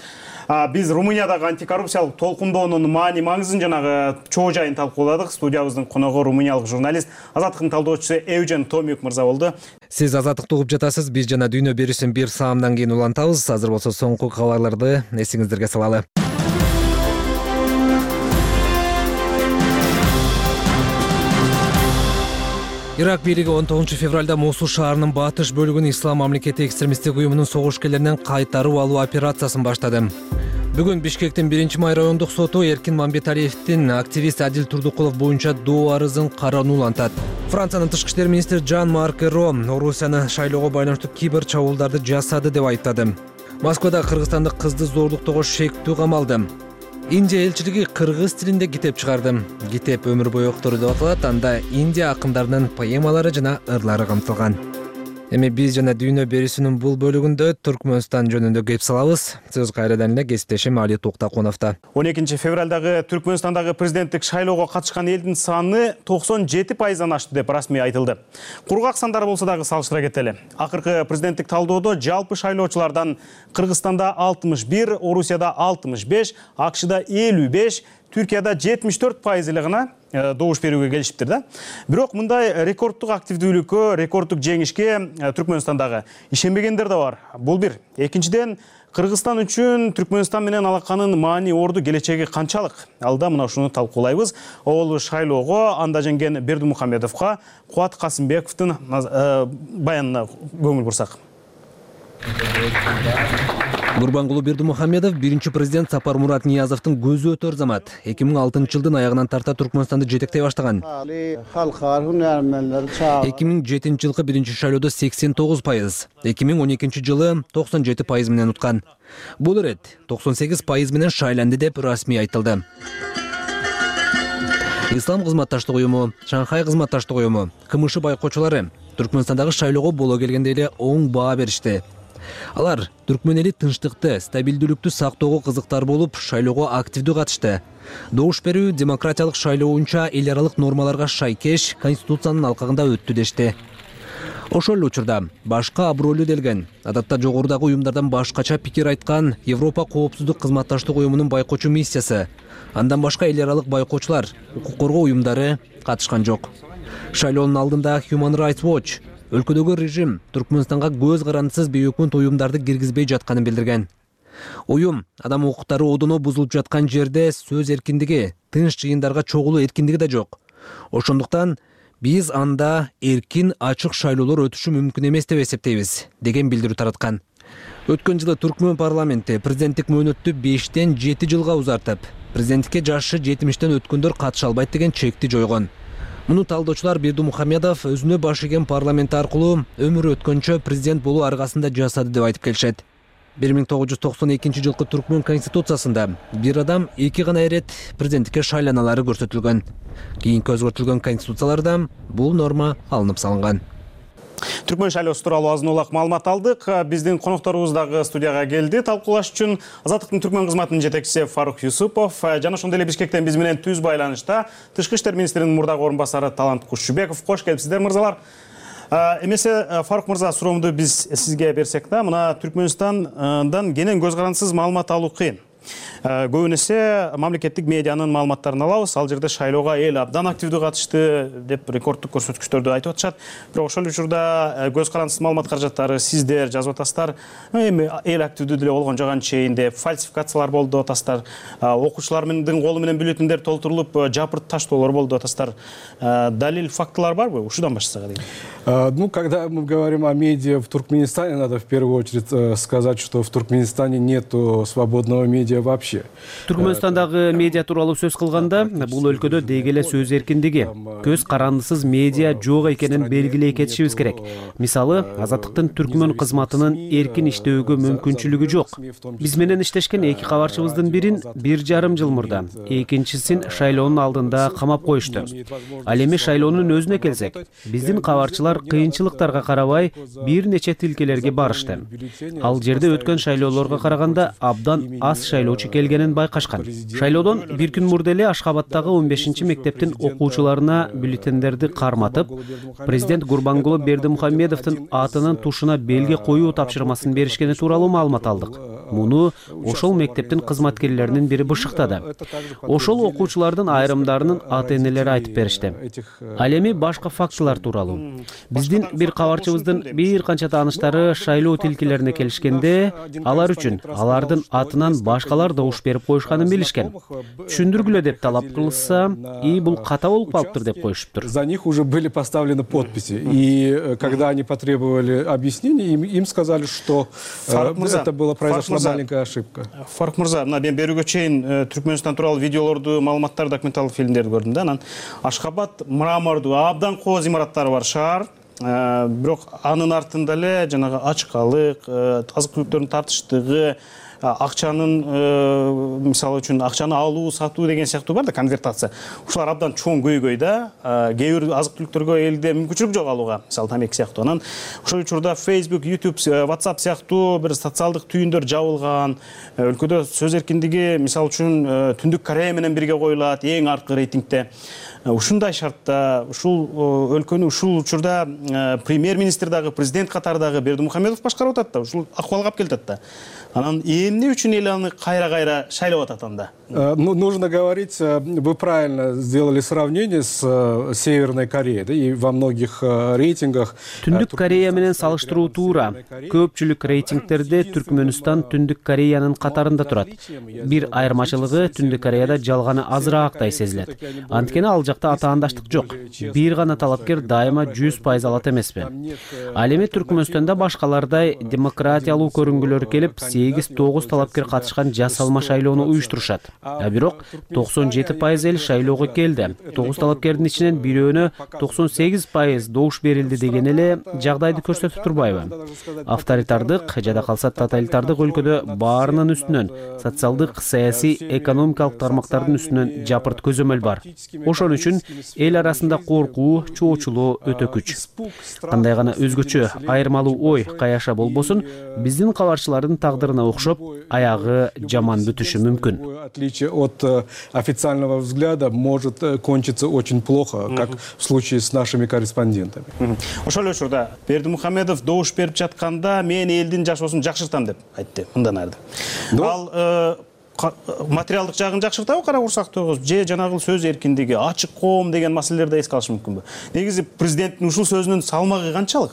Биз Румыниядагы антикоррупциялык толкундоонун маани маңызын жанагы чоо жайын талкууладык. Студиябыздын коногу румыниялык журналист, Азаттыктын талдоочусу Эужен Томюк мырза болду. Сиз Азаттыкты угуп жатасыз. Биз жана дүйнө берүүсүн бир саамдан кийин улантабыз. Азыр болсо соңку кабарларды эсиңиздерге салалы. Ирак бийлиги 19 февралда Мосул шаарынын батыш бөлүгүн Ислам мамлекети экстремисттик уюмунун согушкерлеринен кайтарып алуу операциясын баштады. Бүгүн Бишкектин 1-май райондук соту Эркин Мамбеталиевдин активист Адил Турдукулов боюнча доо арызын кароону улантат. Франциянын тышкы иштер министри Жан-Марк Эро Орусияны шайлоого байланыштуу кибер чабуулдарды жасады деп айттады. Москвада кыргызстандык кызды зордуктоого шектүү камалды. Индия элчилиги кыргыз тилинде китеп чыгарды. Китеп өмүр бою октору деп аталат. Анда Индия акындарынын поэмалары жана ырлары камтылган. Эми биз жана дүйнө берүүсүнүн бул бөлүгүндө Түркмөнстан жөнүндө кеп салабыз. Сөз кайрадан эле кесиптешим Али Токтакуновдо. 12 февралдагы Түркмөнстандагы президенттик шайлоого катышкан элдин саны 97%-дан ашты деп расмий айтылды. Кургак сандар болсо дагы салыштыра кетели. Акыркы президенттик талдоодо жалпы шайлоочулардан Кыргызстанда 61, Орусияда 65, АКШда 55, Түркияда 74% эле гана добуш берүүгө келишиптир да. Бирок мындай рекордтук активдүүлүккө, рекордтук жеңишке Түркмөнстандагы ишенбегендер да бар. Бул бир. Экинчиден, Кыргызстан үчүн Түркмөнстан менен алаканын маани орду келечеги канчалык? Алда мына ушуну талкуулайбыз. Ол шайлоого анда жеңген Бердимухамедовго Кубат Касымбековдун баянына көңүл бурсак. Гурбангулы Бердимухамедов биринчи президент Сапармурат Ниязовдун көзү өтөр замат 2006 жылдын аягынан тарта Түркмөнстанды жетектей баштаган. 2007 жылкы биринчи шайлоодо 89%, 2012 жылы 97% менен уткан. Бул ирет 98% менен шайланды деп расмий айтылды. Ислам кызматташтык уюму, Шанхай кызматташтык уюму, КМШ байкоочулары Түркмөнстандагы шайлоого боло келгенде эле оң баа беришти. Алар түркмөн эли тынчтыкты, стабилдүүлүктү сактоого кызыктар болуп, шайлоого активдүү катышты. Добуш берүү демократиялык шайлоо боюнча эл аралык нормаларга шайкеш Конституциянын алкагында өттү дешти. Ошол эле учурда башка абройлуу делген, адатта жогорудагы уюмдардан башкача пикир айткан Европа коопсуздук кызматташтык уюмунун байкоочу миссиясы, андан башка эл аралык байкоочулар, укук коргоо уюмдары катышкан жок. Шайлоонун алдында Human Rights Watch өлкөдөгү режим Түркмөнстанга көз карандысыз бейөкмөт уюмдарды киргизбей жатканын билдирген. Уюм адам укуктары одоно бузулуп жаткан жерде сөз эркиндиги, тынч жыйындарга чогулуу эркиндиги да жок. Ошондуктан биз анда эркин, ачык шайлоолор өтүшү мүмкүн эмес деп эсептейбиз, деген билдирүү тараткан. Өткөн жылы Түркмөн парламенти президенттик мөөнөттү 5-тен 7 жылга узартып, президенттикке жашы 70-тен өткөндөр катыша албайт деген чекти жойгон. Муну талдоочулар Бердимухамедов өзүнө баш ийген парламент аркылуу өмүрү өткөнчө президент болуу аргасында жасады деп айтып келишет. 1992 жылкы Түркмөн конституциясында бир адам 2 гана ирет президенттикке шайланалары көрсөтүлгөн. Кийинки өзгөртүлгөн конституцияларда бул норма алынып салынган. Түркмөн шайлоосу тууралуу азын улак маалымат алдык. Биздин конокторубуз дагы студияга келди. Талкуулаш үчүн Азаттыктын Түркмөн кызматынын жетекчиси Фарук Юсупов жана ошондой эле Бишкектен биз менен түз байланышта Тышкы иштер министринин мурдагы орун басары Талант Кушчубеков. Кош келипсиздер, мырзалар. Эмесе Фарук мырза, суроомду биз сизге берсек да, мына Түркмөнстандан кенен көз карандысыз маалымат алуу кыйын. Көбүн эсе мамлекеттик медианын маалыматтарын алабыз. Ал жерде шайлоого эл абдан активдүү катышты деп рекорддук көрсөткүчтөрдү айтып атышат. Бирок ошол учурда көз карандысыз маалымат каражаттары сиздер жазып атасыздар. Эми эл активдүү деле болгон жок анчейин деп фальсификациялар болду деп атасыздар. Окуучулардын колу менен бюллетендер толтурулуп жапырт таштоолор болду деп атасыздар. Далил, фактылар барбы? Ушудан баштасак эле. Ну, когда мы говорим о медиа в Туркменистане, надо в первую очередь сказать, что в Туркменистане нету свободного медиа вообще. Түркмөнстандагы медиа тууралуу сөз кылганда, бул өлкөдө деги эле сөз эркиндиги, көз карандысыз медиа жок экенин белгилей кетишибиз керек. Мисалы, Азаттыктын Түркмөн кызматынын эркин иштөөгө мүмкүнчүлүгү жок. Биз менен иштешкен 2 кабарчыбыздын бирин 1,5 жыл мурда, экинчисин шайлоонун алдында камап коюшту. Ал эми шайлоонун өзүнө келсек, биздин кабарчылар кыйынчылыктарга карабай бир нече тилкелерге барышты. Ал жерде өткөн шайлоолорго караганда абдан аз шайлоочу келгенин байкашкан. Шайлоодон бир күн мурда эле Ашкабадтагы 15-чи мектептин окуучуларына бюллетендерди карматып, президент Гурбангулы Бердимухамедовдун атынын тушуна белги коюу тапшырмасын беришкени тууралуу маалымат алдык. Муну ошол мектептин кызматкерлеринин бири бышыктады. Ошол окуучулардын айрымдарынын ата-энелери айтып беришти. Ал эми башка фактылар тууралуу. Биздин бир кабарчыбыздын бир канча тааныштары шайлоо тилкелерине келишкенде, алар үчүн алардын атынан башкалар добуш берип коюшканын билишкен. Түшүндүргүлө деп талап кылышса, бул ката болуп калыптыр деп коюшуптур. За них уже были поставлены подписи. И когда они потребовали объяснений, им сказали, что это было произошла маленькая ошибка. Фарук мырза, мына мен берүүгө чейин Түркмөнстан тууралуу видеолорду, маалыматтар, документалдык фильмдерди көрдүм да. Анан Ашкабад мрамордуу абдан кооз имараттары бар шаар. Бирок анын артында эле жанагы ачкалык, азык-түлүктөрдүн тартыштыгы, акчанын мисалы үчүн акчаны алуу, сатуу деген сыяктуу бар да, конвертация. Ушулар абдан чоң көйгөй да. Кээ бир азык-түлүктөргө элде мүмкүнчүлүк жок алууга, мисалы тамеки сыяктуу. Анан ошол учурда Facebook, YouTube, WhatsApp сыяктуу бир социалдык түйүндөр жабылган. Өлкөдө сөз эркиндиги мисалы үчүн Түндүк Корея менен бирге коюлат, эң аркы рейтингде. Ушундай шартта, ушул өлкөнү ушул учурда премьер-министр дагы, президент катары дагы Бердимухамедов башкарып атат да, ушул акыбалга алып келатат да. Анан эмне үчүн эл аны кайра шайлап атат анда? Нужно говорить, вы правильно сделали сравнение с Северной Кореей, да, и во многих рейтингах. Түндүк Корея менен салыштыруу туура. Көпчүлүк рейтингтерде Түркмөнстан Түндүк Кореянын катарында турат. Бир айырмачылыгы Түндүк Кореяда жалганы азыраактай сезилет. Анткени ал жакта атаандаштык жок. Бир гана талапкер дайыма 100% алат эмеспи. Ал эми Түркмөнстанда башкалардай демократиялуу көрүнгүлөр келип, 8-9 талапкер катышкан жасалма шайлоону уюштурушат. Бирок 97% эл шайлоого келди. 9 талапкердин ичинен бирөөнө 98% добуш берилди деген эле жагдайды көрсөтүп турбайбы? Авторитардык жада калса тоталитардык өлкөдө баарынын үстүнөн социалдык, саясий, экономикалык тармактардын үстүнөн жапырт көзөмөл бар. Ошон үчүн эл арасында коркуу, чоочулоо өтө күч. Кандай гана өзгөчө айырмалуу ой, каяша болбосун, биздин кабарчылардын тагдырына окшоп, аягы жаман бүтүшү мүмкүн. От официального взгляда может кончиться очень плохо, как в случае с нашими корреспондентами. Ошол эле учурда Бердимухамедов добуш берип жатканда мен элдин жашоосун жакшыртам деп айтты мындан арды. Ал материалдык жагын жакшыртабы кара курсактуу же жанагы сөз эркиндиги, ачык коом деген маселелерди эске алыш мүмкүнбү? Негизи президенттин ушул сөзүнүн салмагы канчалык?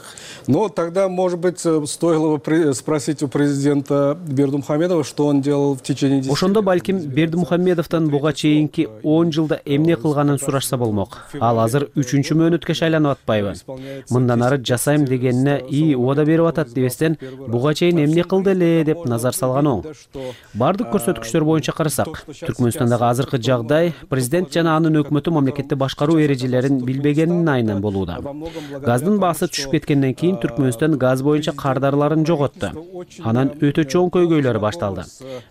Но тогда, может быть, стоило бы спросить у президента Бердимухамедова, что он делал в течение 10 лет. Ошондо балким Бердимухамедовдон буга чейинки 10 жылда эмне кылганын сурашса болмок. Ал азыр 3-чү мөөнөткө шайланып атпайбы? Мындан ары жасайм дегенине убада берип атат дебестен, буга чейин эмне кылды эле деп назар салган оң. Бардык көрсөткүчтөр боюнча карасак, Түркмөнстандагы азыркы жагдай президент жана анын өкмөтү мамлекетти башкаруу эрежелерин билбегенинин айынан болууда. Газдын баасы түшүп кеткенден кийин Түркмөнстан газ боюнча кардарларын жоготту. Анан өтө чоң көйгөйлөр башталды.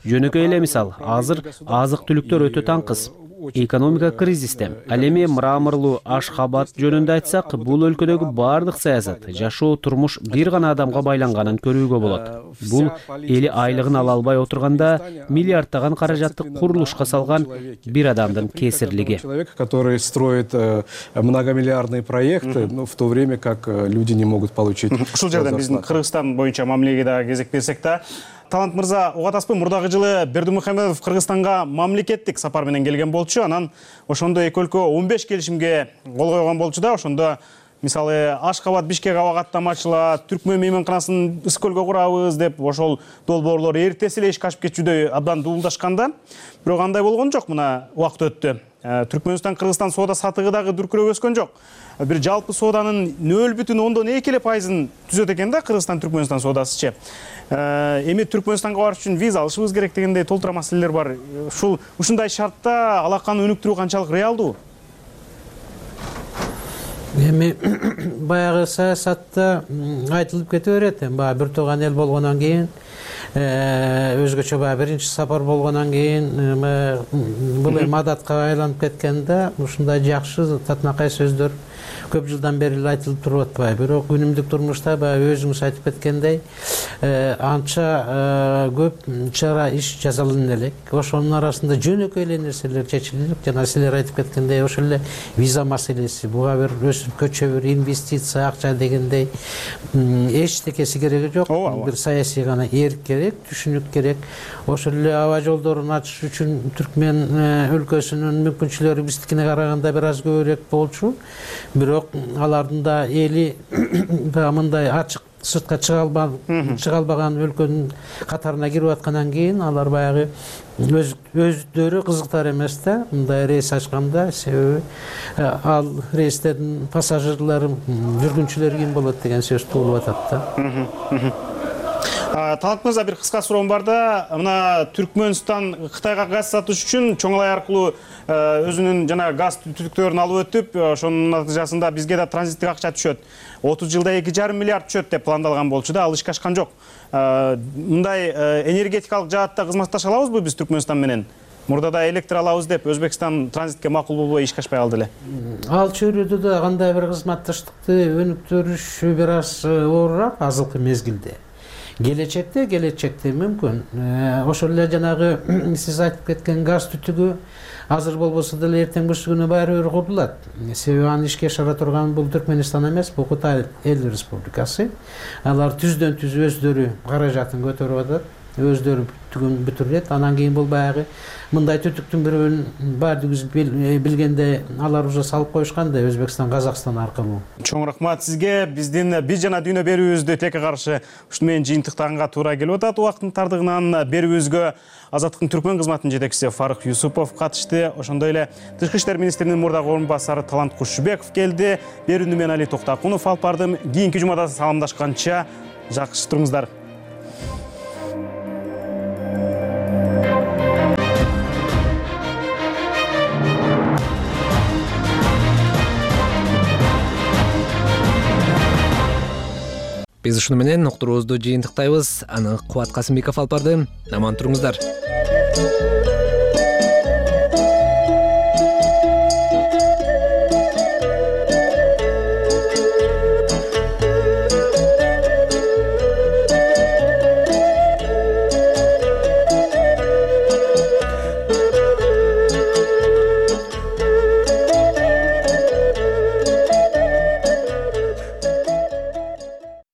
Жөнөкөй эле мисал, азыр азык-түлүктөр өтө таңкыз. Экономика кризисте. Ал эми мраморлуу Ашхабад жөнүндө айтсак, бул өлкөдөгү бардык саясат, жашоо, турмуш бир гана адамга байланганын көрүүгө болот. Бул эли айлыгын ала албай отурганда миллиардтаган каражатты курулушка салган бир адамдын кесирлиги. Человек, который строит многомиллиардные проекты, в то время как люди не могут получить. Ушул жерден биздин Кыргызстан боюнча мамилеге дагы кезек берсек да, Талант мырза, угатасызбы, мурдагы жылы Бердимухамедов Кыргызстанга мамлекеттик сапар менен келген болчу. Анан ошондо эки өлкө 15 келишимге кол койгон болчу да. Ошондо мисалы Ашхабад Бишкек аба каттамачыла, Түркмөн мейманканасын Ысык-Көлгө курабыз деп ошол долбоорлор эртеси эле ишке ашып кетчүдөй абдан дуулдашканда, бирок андай болгон жок. Мына убакыт өттү. Түркмөнстан Кыргызстан соода сатыгы дагы дүркүрөп өскөн жок. Бир жалпы сооданын 0,2% түзөт экен да Кыргызстан Түркмөнстан соодасычы. Эми Түркмөнстанга барыш үчүн виза алышыбыз керек дегендей толтура маселелер бар. Ушундай шартта алаканы өнүктүрүү канчалык реалдуу? Эми баягы саясатта айтылып кете берет. Баягы бир тууган эл болгондон кийин, өзгөчө баягы биринчи сапар болгондон кийин бул эми адатка айланып кеткенде ушундай жакшы татынакай сөздөр көп жылдан бери айтылып туруп атпайбы. Бирок күнүмдүк турмушта баягы өзүңүз айтып кеткендей анча көп чара иш жасалына элек. Ошонун арасында жөнөкөй эле нерселер чечилип, жана силер айтып кеткендей ошол эле виза маселеси, буга бир көчө бир инвестиция, акча дегендей эчтекеси кереги жок. Бир саясий гана эрк керек, түшүнүк керек. Ошол эле аба жолдорун ачыш үчүн Түркмен өлкөсүнүн мүмкүнчүлүктөрү биздикине караганда бир аз көбүрөөк болчу. Бирок алардын да эли мындай ачык сыртка чыга албаган өлкөнүн катарына кирип аткандан кийин алар баягы өздөрү кызыктар эмес да мындай рейс ачканда, себеби ал рейстердин пассажирлары, жүргүнчүлөрү ким болот деген сөз туулуп атат да. Талант мырза, бир кыска суроом бар да. Мына Түркмөнстан Кытайга газ сатыш үчүн чоңалай аркылуу өзүнүн жана газ түтүктөрүн алып өтүп, ошонун натыйжасында бизге да транзиттик акча түшөт. 30 жылда 2,5 миллиард түшөт деп пландалган болчу да, ал ишке ашкан жок. Мындай энергетикалык жаатта кызматташа алабызбы биз Түркмөнстан менен? Мурда да электр алабыз деп Өзбекстан транзитке макул болбой ишке ашпай калды эле. Ал чөйрөдө да кандай бир кызматташтыкты өнүктүрүш бир аз оорураак азыркы мезгилде. Келечекте мүмкүн. Ошол эле жанагы сиз айтып кеткен газ түтүгү азыр болбосо деле эртең күнү баары бир курулат. Себеби аны ишке ашыра турган бул Түркмөнстан эмес, бул Кытай Эл Республикасы. Алар түздөн түз өздөрү каражатын көтөрүп атат. өздөрү бүтүрүлөт. Анан кийин бул баягы мындай түтүктүн бирөөнүн баардыгыбыз билгенде алар уже салып коюшкан да Өзбекстан, Казакстан аркылуу. Чоң рахмат сизге. Биздин Биз жана дүйнө берүүбүздү тилекке каршы ушуну менен жыйынтыктаганга туура келип атат. Убакыттын тардыгынан берүүбүзгө Азаттыктын түркмөн кызматынын жетекчиси Фарук Юсупов катышты. Ошондой эле Тышкы иштер министринин мурдагы орун басары Талант Кушубеков келди. Берүүнү мен Али Токтакунов алып бардым. Кийинки жумада саламдашканча жакшы туруңуздар. Биз ушуну менен уктуруубузду жыйынтыктайбыз. Аны Кубат Касымбеков алып барды. Аман туруңуздар.